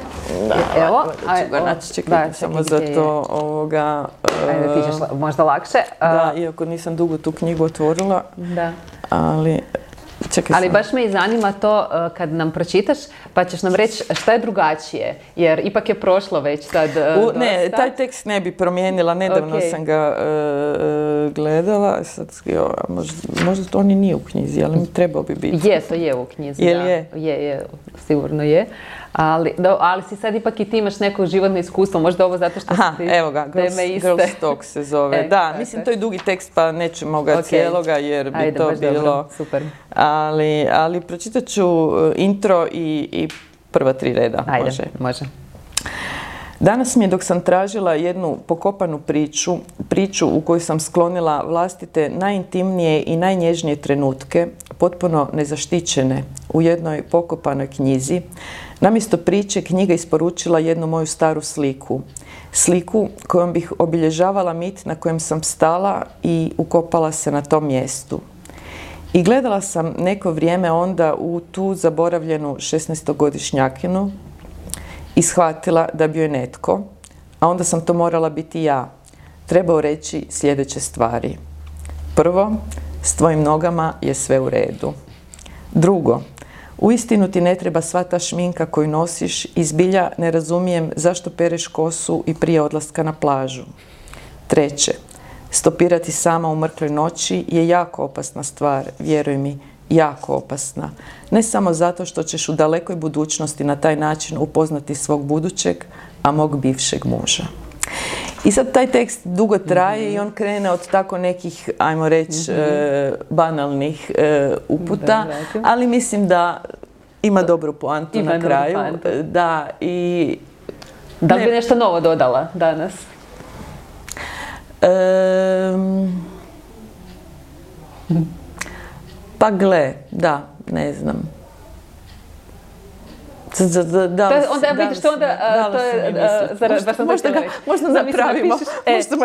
Da, evo, ću ga naći, čekaj, samo za to ovoga... Ajde, ti ćeš možda lakše. Da, iako nisam dugo tu knjigu otvorila, ali... Čekaj, ali baš me i zanima to kad nam pročitaš, pa ćeš nam reći šta je drugačije, jer ipak je prošlo već sad dosta. Ne, taj tekst ne bi promijenila, nedavno sam ga gledala, sad, možda to ni nije u knjizi, ali mi trebao bi biti. Je, to je u knjizi, Jel da. Je, sigurno je. Ali si sad ipak i ti imaš neko životno iskustvo, možda ovo zato što ti evo ga, Girls Talk se zove. Da, mislim, to je dugi tekst, pa nećemo ga cijeloga, jer bi to bilo... Super. Ali pročitat ću intro i prva 3 reda. Ajde, može. Danas mi je, dok sam tražila jednu pokopanu priču u kojoj sam sklonila vlastite najintimnije i najnježnije trenutke, potpuno nezaštićene, u jednoj pokopanoj knjizi, namjesto priče knjiga isporučila jednu moju staru sliku. Sliku kojom bih obilježavala mit na kojem sam stala i ukopala se na tom mjestu. I gledala sam neko vrijeme onda u tu zaboravljenu 16-godišnjakinu i shvatila da bi joj netko, a onda sam to morala biti ja, trebao reći sljedeće stvari. Prvo, s tvojim nogama je sve u redu. Drugo, uistinu ti ne treba sva ta šminka koju nosiš i zbilja ne razumijem zašto pereš kosu i prije odlaska na plažu. Treće, stopirati sama u mrkloj noći je jako opasna stvar, vjeruj mi, jako opasna. Ne samo zato što ćeš u dalekoj budućnosti na taj način upoznati svog budućeg, a mog bivšeg muža. I sad taj tekst dugo traje i on krene od tako nekih, ajmo reći, banalnih uputa, ali mislim da ima dobru poantu na kraju. Da, i... Da li bi nešto novo dodala danas? Pa gle, da, ne znam. Onda vidiš što onda... Možda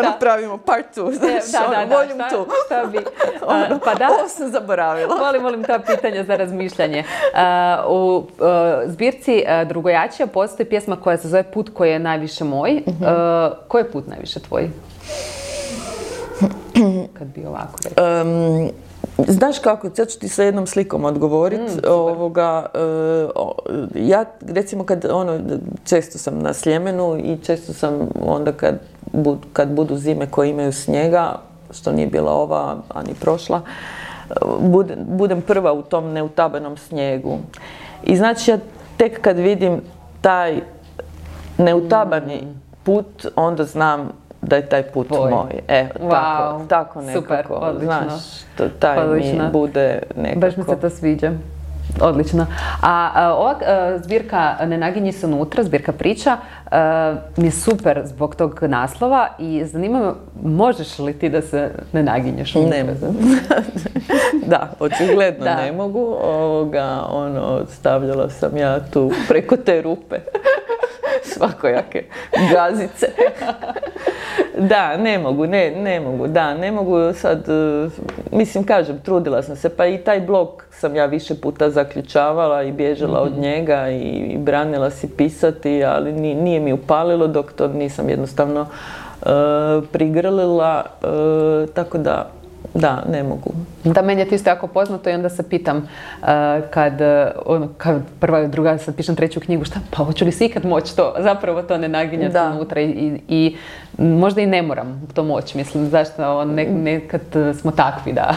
napravimo part 2, volume 2. Pa da, ovo sam zaboravila. Volim ta pitanja za razmišljanje. U zbirci Drugojačija postoji pjesma koja se zove Put koji je najviše moj. Koji je put najviše tvoj? Kad bi ovako rekao. Znaš kako, sad ću ti sa jednom slikom odgovoriti. Ja, recimo, često sam na Sljemenu i često sam onda kad budu zime koje imaju snijega, što nije bila ova, a ni prošla, budem prva u tom neutabanom snijegu. I znači ja tek kad vidim taj neutabani put, onda znam da je taj put moj. Tako nekako. Super, odlično. Znaš, taj mi bude nekako. Baš mi se to sviđa. Odlično. A ova zbirka Ne naginji se unutra, zbirka priča, mi je super zbog tog naslova i zanima me, možeš li ti da se ne naginješ unutra? Ne mogu. Da, očigledno ne mogu. Stavljala sam ja tu preko te rupe svakojake gazice. Da, ne mogu sad, mislim, kažem, trudila sam se, pa i taj blog sam ja više puta zaključavala i bježala od njega i branila si pisati, ali nije mi upalilo dok to nisam jednostavno prigrlila, tako da, ne mogu. Da, meni je to isto jako poznato i onda se pitam kad prva, druga, sad pišem treću knjigu, pa hoću li se ikad moći to, zapravo to ne naginjati unutra i možda i ne moram to moći, mislim, zašto nekad smo takvi da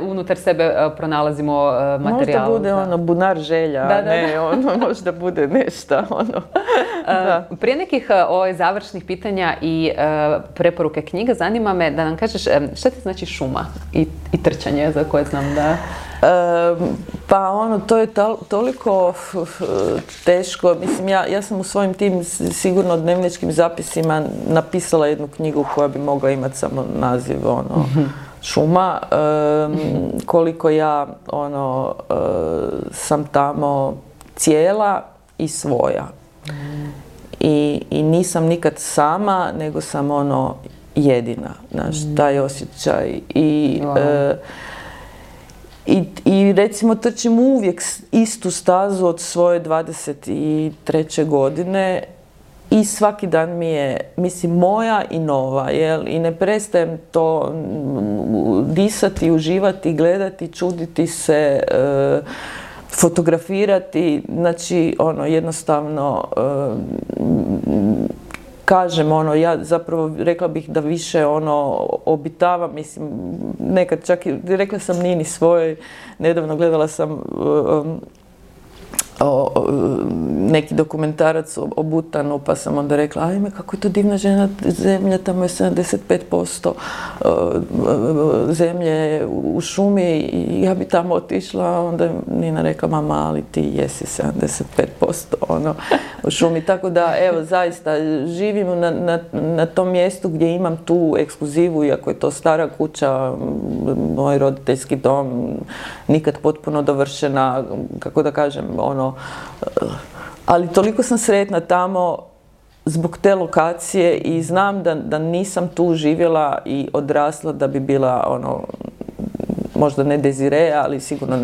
unutar sebe pronalazimo materijal. Možda bude bunar želja, možda bude nešto, Prije nekih završnih pitanja i preporuke knjiga, zanima me da nam kažeš šta ti znači šuma i trčanje za koje znam da... Pa to je toliko teško. Mislim, ja sam u svojim tim sigurno dnevničkim zapisima napisala jednu knjigu koja bi mogla imati samo naziv šuma. Koliko ja sam tamo cijela i svoja. I nisam nikad sama, nego sam jedina. Znaš, taj osjećaj. I recimo trčim uvijek istu stazu od svoje 23. godine i svaki dan mi je, mislim, moja i nova, I ne prestajem to disati, uživati, gledati, čuditi se, fotografirati, znači, jednostavno, kažem, ja zapravo rekla bih da više obitavam, mislim, nekad čak i, rekla sam Nini svojoj, nedavno gledala sam neki dokumentarac o Butanu, pa sam onda rekla, ajme, kako je to divna zemlja, tamo je 75% zemlje u šumi i ja bi tamo otišla, onda je Nina rekla, mama, ali ti jesi 75% u šumi, tako da, evo, zaista, živim na tom mjestu gdje imam tu ekskluzivu, iako je to stara kuća, moj roditeljski dom, nikad potpuno dovršena, kako da kažem, ali toliko sam sretna tamo zbog te lokacije i znam da nisam tu živjela i odrasla da bi bila možda ne Desire, ali sigurno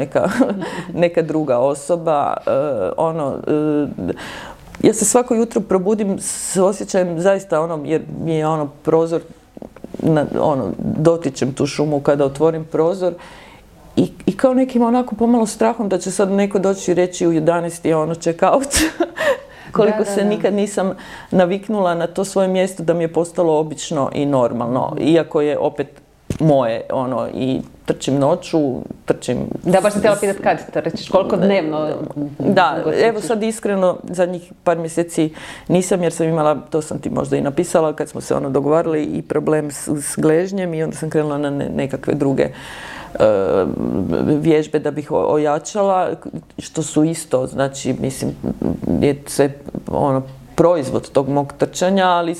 neka druga osoba. Ja se svako jutro probudim s osjećajem zaista jer mi je prozor, dotičem tu šumu kada otvorim prozor. I kao nekim onako pomalo strahom da će sad neko doći i reći u 11 je check out. Koliko se nikad nisam naviknula na to svoje mjesto da mi je postalo obično i normalno. Iako je opet moje, i trčim noću, trčim... Da, baš sam htjela pitati kad trčiš, koliko dnevno? Da, evo sad iskreno, zadnjih par mjeseci nisam, jer sam imala, to sam ti možda i napisala, kad smo se dogovarali, i problem s gležnjem i onda sam krenula na nekakve druge vježbe da bih ojačala, što su isto, znači, mislim, je sve proizvod tog mog trčanja, ali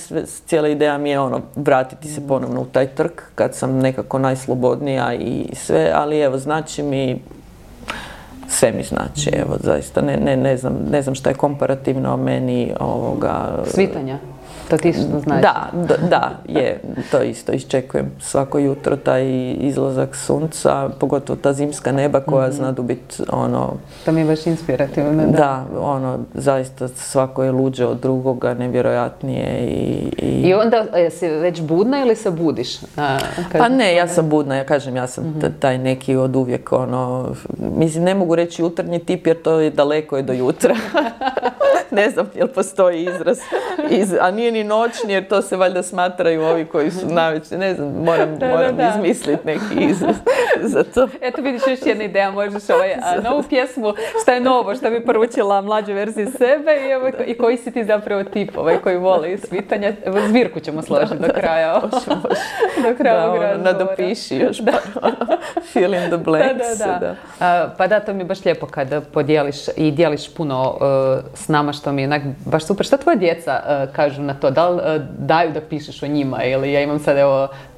cijela ideja mi je vratiti se ponovno u taj trk kad sam nekako najslobodnija i sve, ali evo, znači mi, sve mi znači, evo, zaista, ne znam šta je komparativno meni ovoga... Svitanja? To ti isto znači? Da, je. To isto iščekujem svako jutro, taj izlazak sunca, pogotovo ta zimska neba koja znadu biti To mi je baš inspirativno, da. Da, zaista svako je luđe od drugoga, nevjerojatnije I onda si već budna ili se budiš? Pa ne, ja sam budna, ja kažem, ja sam taj neki od uvijek, mislim, ne mogu reći jutarnji tip jer to je daleko do jutra. Ne znam jel postoji izraz, a nije ni noćni jer to se valjda smatraju ovi koji su navečer, ne znam, moram izmisliti neki izraz za to. Eto vidiš, još jedna ideja, možeš novu pjesmu, šta je novo, šta bi poručila mlađe verzije sebe i koji si ti zapravo tip koji vole svitanja. Zbirku ćemo složiti do kraja. Do kraja ovog razgovora. Nadopiši još fill in the blanks. Pa da, to mi je baš lijepo kada podijeliš i dijeliš puno s nama, što mi je baš super. Šta tvoje djeca kažu na to? Da li daju da pišeš o njima? Ili ja imam sad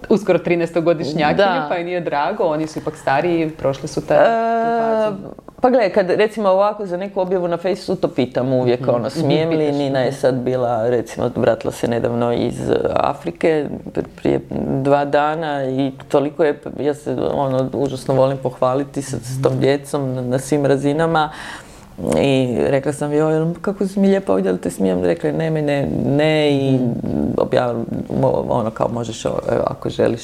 uskoro 13-godišnjakinju, pa i nije drago, oni su ipak stariji, prošli su tu fazu. Pa gledaj, kad recimo ovako za neku objavu na Facebooku to pitam uvijek, smijem li, Nina je sad bila, recimo, vratila se nedavno iz Afrike prije 2 dana i toliko je, ja se užasno volim pohvaliti s tom djecom na svim razinama. I rekla sam joj, kako si mi lijepa ovdje, ali te smijem? Rekla je ne i objavila, kao možeš ako želiš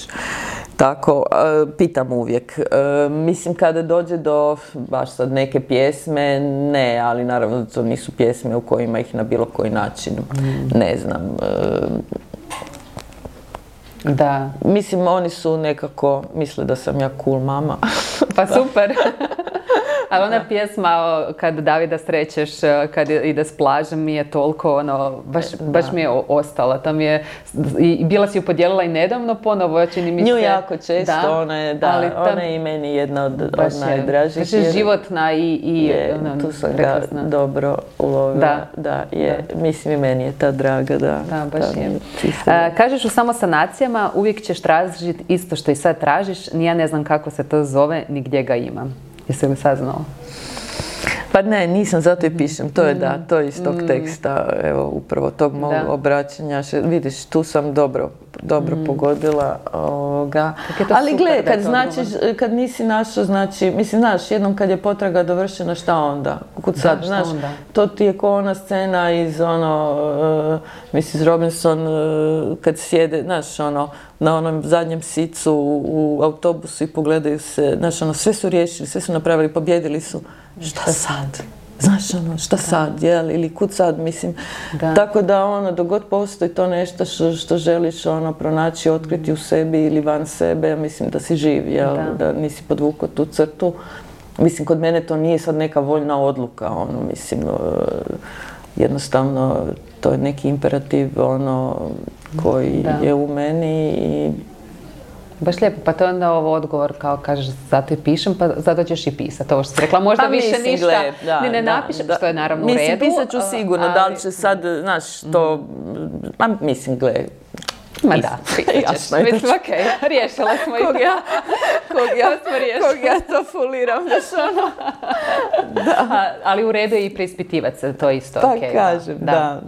tako, pitam uvijek. Mislim, kada dođe do baš sad neke pjesme, ne, ali naravno da to nisu pjesme u kojima ih na bilo koji način, ne znam. Da. Mislim, oni su nekako, misle da sam ja cool mama. Pa super. Ali ona pjesma kad Davida srećeš, kad ide s plažem, mi je toliko, ono, baš mi je ostala. Tam je, i bila si ju podijelila i nedavno ponovo, čini mi se. Nju jako često, da, ona je i meni jedna od najdražih. Baš je životna i tu sam ga dobro ulovila. Da, je. Da. Mislim, i meni je ta draga, da. Da, baš je. Kažeš u samosanacijama, uvijek ćeš tražiti isto što i sad tražiš, ni ja ne znam kako se to zove, ni gdje ga imam. Jesi li saznao? Pa ne, nisam, zato i pišem. To je to je iz tog teksta, evo, upravo tog mog obraćanja. Vidiš, tu sam dobro pogodila ovoga. Ali gle, kad nisi našao, znači, mislim, znaš, jednom kad je potraga dovršena, šta onda? Kud sad, znaš, to ti je ko ona scena iz Mrs. Robinson, kad sjede, znaš, na onom zadnjem sicu u autobusu i pogledaju se, znaš, sve su riješili, sve su napravili, pobjedili su. Šta sad? Znaš, šta sad, jel? Ili kud sad, mislim. Tako da, dok god postoji to nešto što želiš, pronaći, otkriti u sebi ili van sebe, ja mislim da si živ, jel? Da nisi podvukao tu crtu. Mislim, kod mene to nije sad neka voljna odluka, mislim, jednostavno, to je neki imperativ, koji je u meni i... Baš lijepo, pa to je onda ovo odgovor kao kažeš zato i pišem, pa zato ćeš i pisati. Ovo što si rekla, možda više ništa ni ne napišem, što je naravno u redu. Mislim, pisat ću sigurno, da li će sad, znaš, to... Mislim, gle... Ma da, jasno je. Mislim, okej, riješila smo i kog ja to fuliram, znaš, Ali u redu je i preispitivati se, to je isto okej. Pa kažem, da.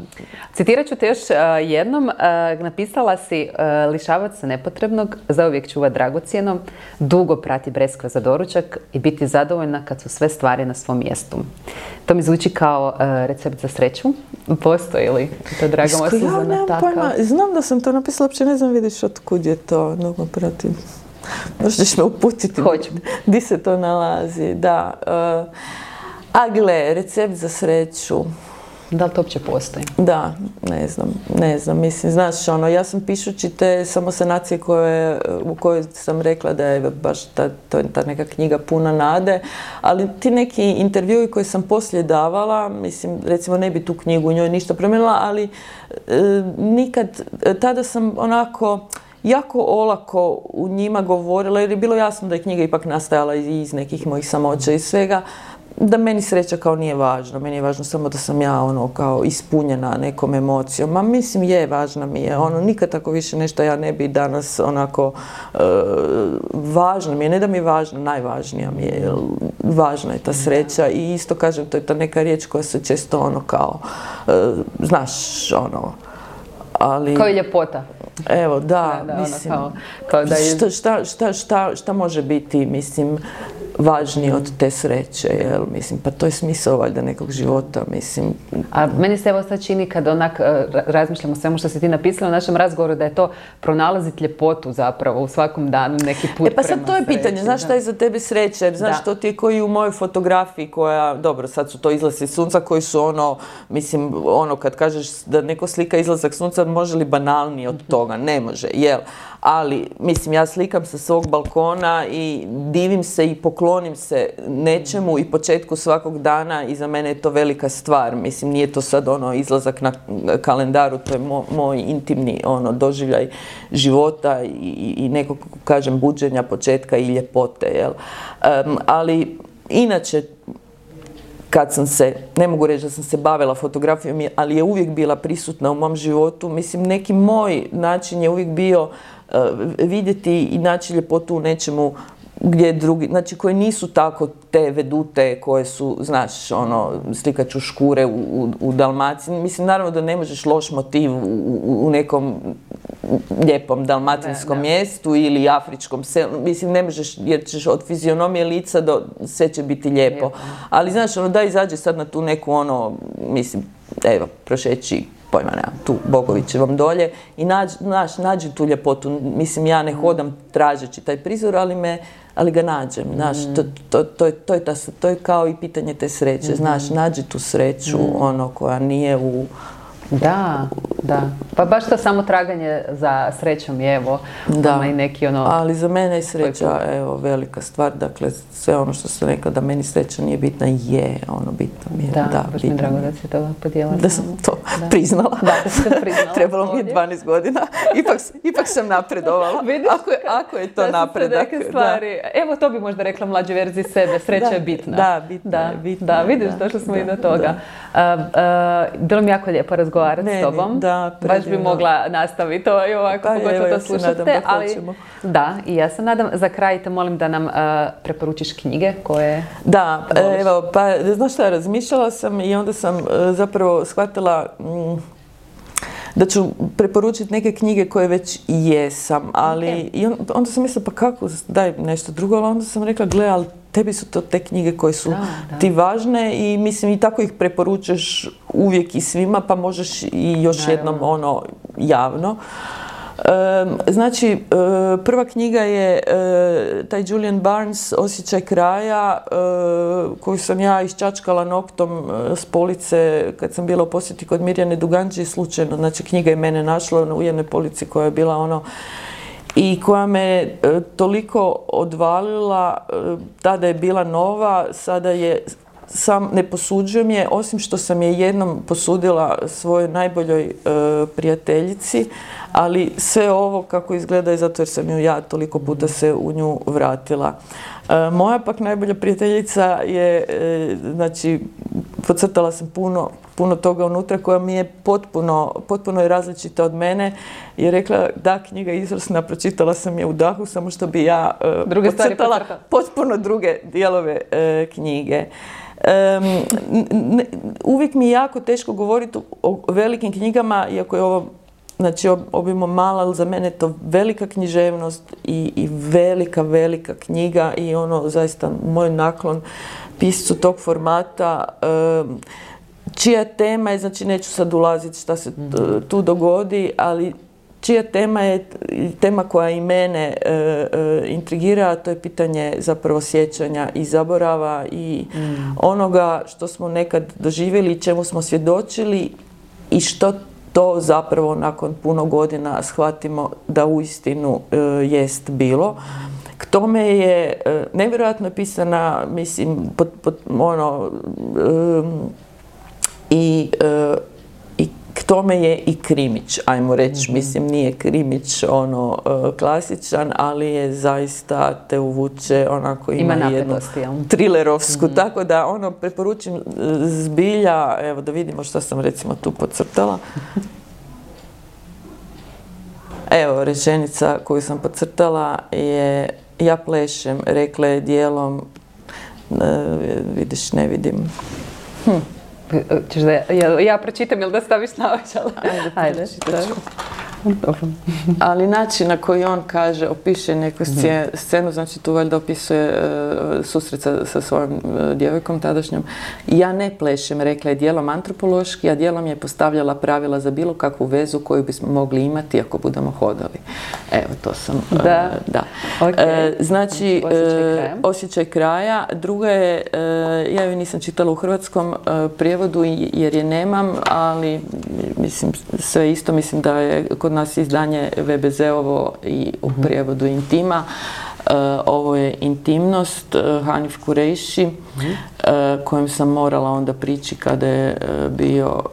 Citirat ću te još jednom. Napisala si, lišavat se nepotrebnog, zauvijek čuva dragocjeno, dugo prati breskve za doručak i biti zadovoljna kad su sve stvari na svom mjestu. To mi zvuči kao recept za sreću. Postoji li to, draga moja Suzana, takav? Znam da sam to napisala, uopće ne znam, vidiš otkud je to, dugo pratim. Možda ćeš me uputiti gdje se to nalazi, da. A gle, recept za sreću. Da li to uopće postoji? Da, ne znam, mislim, znaš, ja sam pišući te samosanacije u kojoj sam rekla da je baš ta neka knjiga puna nade, ali ti neki intervjui koje sam poslije davala, mislim, recimo ne bi tu knjigu u njoj ništa promijenila, ali nikad, tada sam onako jako olako u njima govorila, jer je bilo jasno da je knjiga ipak nastajala iz nekih mojih samoća i svega, da meni sreća kao nije važno. Meni je važno samo da sam ja kao ispunjena nekom emocijom. Ma mislim važna mi je. Nikad tako više nešto ja ne bi danas onako važno mi je. Ne da mi je važno, najvažnija mi je. Važna je ta sreća i isto kažem, to je ta neka riječ koja se često kao, znaš, ali... Kao i ljepota. Evo, da, mislim, kao da je... šta može biti, mislim, važnije od te sreće, jel, mislim, pa to je smisao valjda nekog života, mislim. A meni se evo sad čini kad onak razmišljam o svemu što si ti napisala u našem razgovoru, da je to pronalaziti ljepotu zapravo u svakom danu, neki put prema sreći. Pa sad to je pitanje, znaš šta je za tebe sreća, jer znaš to ti je koji u mojoj fotografiji koja, dobro, sad su to izlazi sunca koji su mislim, kad kažeš da neko slika izlazak sunca, može li banalnije od toga? Ne može, jel? Ali, mislim, ja slikam sa svog balkona i divim se i poklonim se nečemu i početku svakog dana i za mene je to velika stvar. Mislim, nije to sad izlazak na kalendaru, to je moj intimni doživljaj života i nekog, kažem, buđenja početka i ljepote, jel? Ali, inače, kad sam se, ne mogu reći da sam se bavila fotografijom, ali je uvijek bila prisutna u mom životu. Mislim, neki moj način je uvijek bio vidjeti i naći ljepotu u nečemu gdje drugi, znači koji nisu tako te vedute koje su, znaš, slikat ću škure u Dalmaciji. Mislim, naravno da ne možeš loš motiv u nekom lijepom dalmatinskom mjestu ili afričkom selu. Mislim, ne možeš, jer ćeš od fizionomije lica do sve će biti lijepo. Ali, znaš, da izađe sad na tu neku, mislim, evo, prošeći pojma nemam, tu Bogovićevom dolje i nađi tu ljepotu. Mislim, ja ne hodam tražeći taj prizor, ali ga nađem, znaš, to je kao i pitanje te sreće, znaš, nađi tu sreću, ono, koja nije u... Da. Pa baš to samo traganje za srećom je, evo, i neki ono... Ali za mene je sreća, evo, velika stvar, dakle, sve ono što sam rekla da meni sreća nije bitna, je, ono, bitno mi je. Da, baš mi je drago da si to podijelila. Da sam to priznala. Da sam priznala. Trebalo mi je 12 godina. Ipak sam napredovala. Vidiš, ako je to napredak. Evo, to bi možda rekla mlađoj verziji sebe, sreća je bitna. Da, bitna. Da, vidiš, došli smo i do toga. Bilo mi jako lijepo razgovarati s tobom. Baš bi mogla nastaviti to i ovako, pogotovo to slušate. Da, i ja se nadam. Za kraj te molim da nam preporučiš knjige koje voliš. Evo, pa znaš šta, razmišljala sam i onda sam zapravo shvatila da ću preporučiti neke knjige koje već jesam, ali i onda sam mislila pa kako, daj nešto drugo, ali onda sam rekla gle, ali tebi su to te knjige koje su ti važne i mislim i tako ih preporučuješ uvijek i svima, pa možeš i još jednom ono javno. Znači, prva knjiga je taj Julian Barnes, Osjećaj kraja, koju sam ja iščačkala noktom s police kad sam bila u posjeti kod Mirjane Duganđi slučajno. Znači, knjiga je mene našla u jednoj polici koja je bila ono i koja me toliko odvalila, tada je bila nova, sada je sam ne posuđujem je, osim što sam je jednom posudila svojoj najboljoj prijateljici, ali sve ovo kako izgleda je zato jer sam ju ja toliko puta se u nju vratila. Moja pak najbolja prijateljica je, znači, podcrtala sam puno toga unutra koja mi je potpuno je različita od mene i je rekla da, knjiga je izvrsna, pročitala sam je u dahu, samo što bi ja podcrtala potpuno druge dijelove knjige. Uvijek mi je jako teško govoriti o velikim knjigama, iako je ovo znači obimo mala, ali za mene je to velika književnost i velika knjiga i ono zaista moj naklon piscu tog formata, čija tema je, znači neću sad ulaziti šta se tu dogodi, ali čija tema je tema koja i mene intrigira, a to je pitanje zapravo sjećanja i zaborava i onoga što smo nekad doživjeli i čemu smo svjedočili i što to zapravo nakon puno godina shvatimo da uistinu jest bilo. K tome je nevjerojatno pisana, mislim, i k tome je i krimić, ajmo reći, mislim, nije krimić klasičan, ali je zaista te uvuče onako, ima jednu trilerovsku, tako da preporučim zbilja, evo da vidimo što sam recimo tu podcrtala. Evo, rečenica koju sam podcrtala je ja plešem, rekla je dijelom, vidiš, ne vidim. Češ da ja pročitam ili da staviš naočale? Ajde, pročitat. Ali način na koji on kaže, opiše neku scenu, znači tu valjda opisuje susret sa svojom djevojkom tadašnjom. Ja ne plešem, rekla je dijelom antropološki, a dijelom je postavljala pravila za bilo kakvu vezu koju bismo mogli imati ako budemo hodali. Evo, to sam... Da. Okay. Znači, Osjećaj kraja. Druga je, ja ju nisam čitala u hrvatskom prijevodu jer je nemam, ali mislim, sve isto, mislim da je kod nas izdanje VBZ-ovo i u prijevodu Intima. Ovo je Intimnost, Hanif Kureiši, kojem sam morala onda prići kada je bio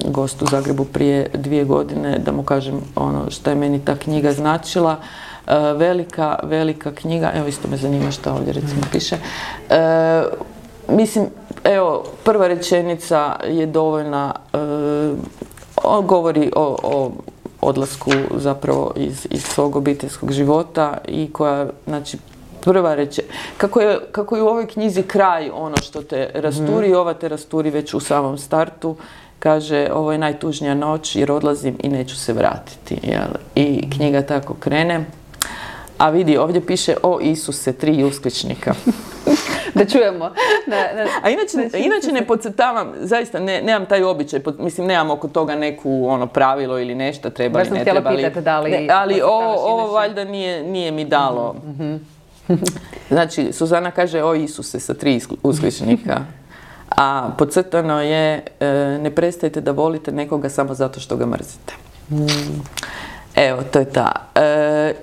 gost u Zagrebu prije 2 godine, da mu kažem ono što je meni ta knjiga značila. Velika knjiga, evo isto me zanima što ovdje recimo piše. Mislim, evo, prva rečenica je dovoljna, govori o odlasku zapravo iz svog obiteljskog života i koja, znači, prva kako je u ovoj knjizi kraj ono što te rasturi, ova te rasturi već u samom startu, kaže ovo je najtužnija noć jer odlazim i neću se vratiti. Jel? I knjiga tako krene. A vidi, ovdje piše o Isuse, 3 uskličnika. Da čujemo. A inače ne podcrtavam, zaista nemam taj običaj, mislim nemam oko toga neku pravilo ili nešto, treba li, ne treba li. Ali ovo valjda nije mi dalo. Znači, Suzana kaže o Isuse sa 3 uskličnika. A podcrtano je ne prestajte da volite nekoga samo zato što ga mrzite. Evo, to je ta.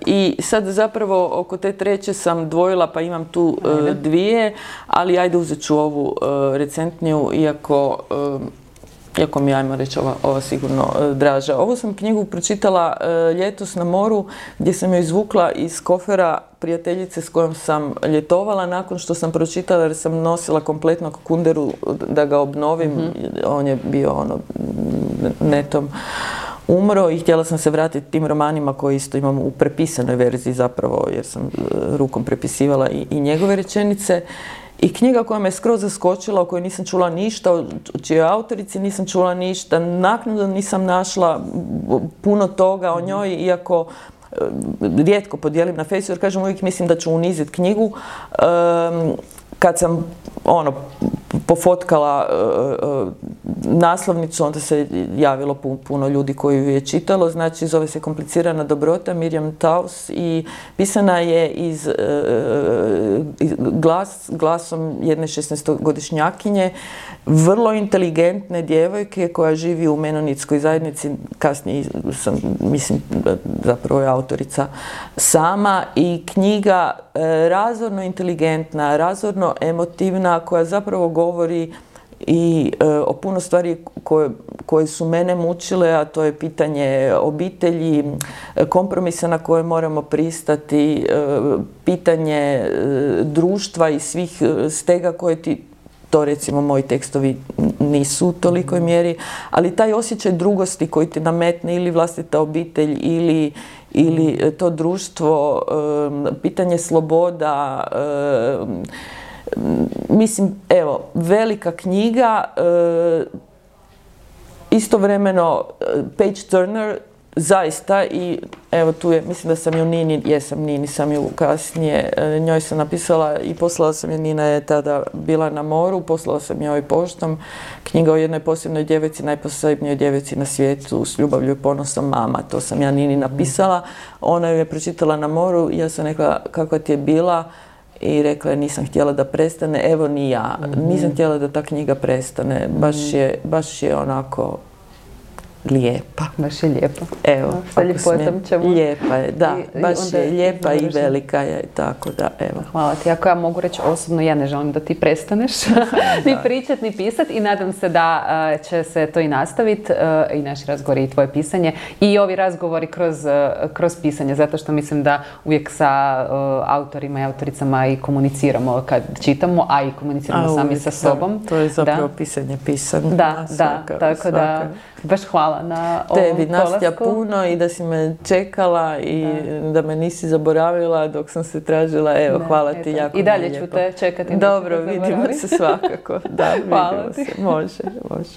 I sad zapravo oko te treće sam dvojila, pa imam tu 2, ali ajde uzet ću ovu recentniju, iako mi je, ajmo reći, ova sigurno draža. Ovu sam knjigu pročitala ljetos na moru, gdje sam joj izvukla iz kofera prijateljice s kojom sam ljetovala nakon što sam pročitala, jer sam nosila kompletnog Kunderu da ga obnovim. On je bio netom umro i htjela sam se vratiti tim romanima koje isto imam u prepisanoj verziji zapravo, jer sam rukom prepisivala i njegove rečenice. I knjiga koja me skroz zaskočila, o kojoj nisam čula ništa, o čijoj autorici nisam čula ništa, naknadno nisam našla puno toga o njoj, iako rijetko podijelim na Facebooku, jer kažem uvijek mislim da ću uniziti knjigu. Kad sam pofotkala naslovnicu, onda se javilo puno ljudi koji ju je čitalo. Znači, zove se Komplicirana dobrota, Miriam Taus, i pisana je glasom jedne 16-godišnjakinje, vrlo inteligentne djevojke koja živi u menonitskoj zajednici. Kasnije sam, mislim, zapravo je autorica sama, i knjiga razorno inteligentna, razorno emotivna, koja zapravo govori i o puno stvari koje su mene mučile, a to je pitanje obitelji, kompromisa na koje moramo pristati, pitanje društva i svih stega koje to recimo moji tekstovi nisu u tolikoj mjeri, ali taj osjećaj drugosti koji ti nametne ili vlastita obitelj ili to društvo, pitanje sloboda, mislim, evo, velika knjiga, istovremeno page turner, zaista, i evo tu je, mislim da sam ju Nini sam ju kasnije, njoj sam napisala i poslala sam je, Nina je tada bila na moru, poslala sam joj poštom knjiga o jednoj posebnoj djevojci, najposebnijoj djevojci na svijetu, s ljubavlju i ponosom, mama, to sam ja Nini napisala, ona ju je pročitala na moru i ja sam rekla kakva ti je bila, i rekla je nisam htjela da prestane, evo ni ja, nisam htjela da ta knjiga prestane, baš je onako lijepa. Baš je lijepa. Evo, sa ljepotom ćemo. Lijepa je, da, baš je lijepa i velika je, tako da, evo. Hvala ti. Ako ja mogu reći osobno, ja ne želim da ti prestaneš ni pričat, ni pisat, i nadam se da će se to i nastaviti, i naši razgovori i tvoje pisanje, i ovi razgovori kroz pisanje, zato što mislim da uvijek sa autorima i autoricama i komuniciramo kad čitamo, a i komuniciramo sami sa sobom. To je zapravo pisanje pisano. Da, tako da baš hvala na ovom tebi, Nastja, puno, i da si me čekala i da me nisi zaboravila dok sam se tražila. Evo, hvala ti jako. I dalje ću te čekati. Dobro, vidimo se svakako. Da, hvala vidimo se. Može.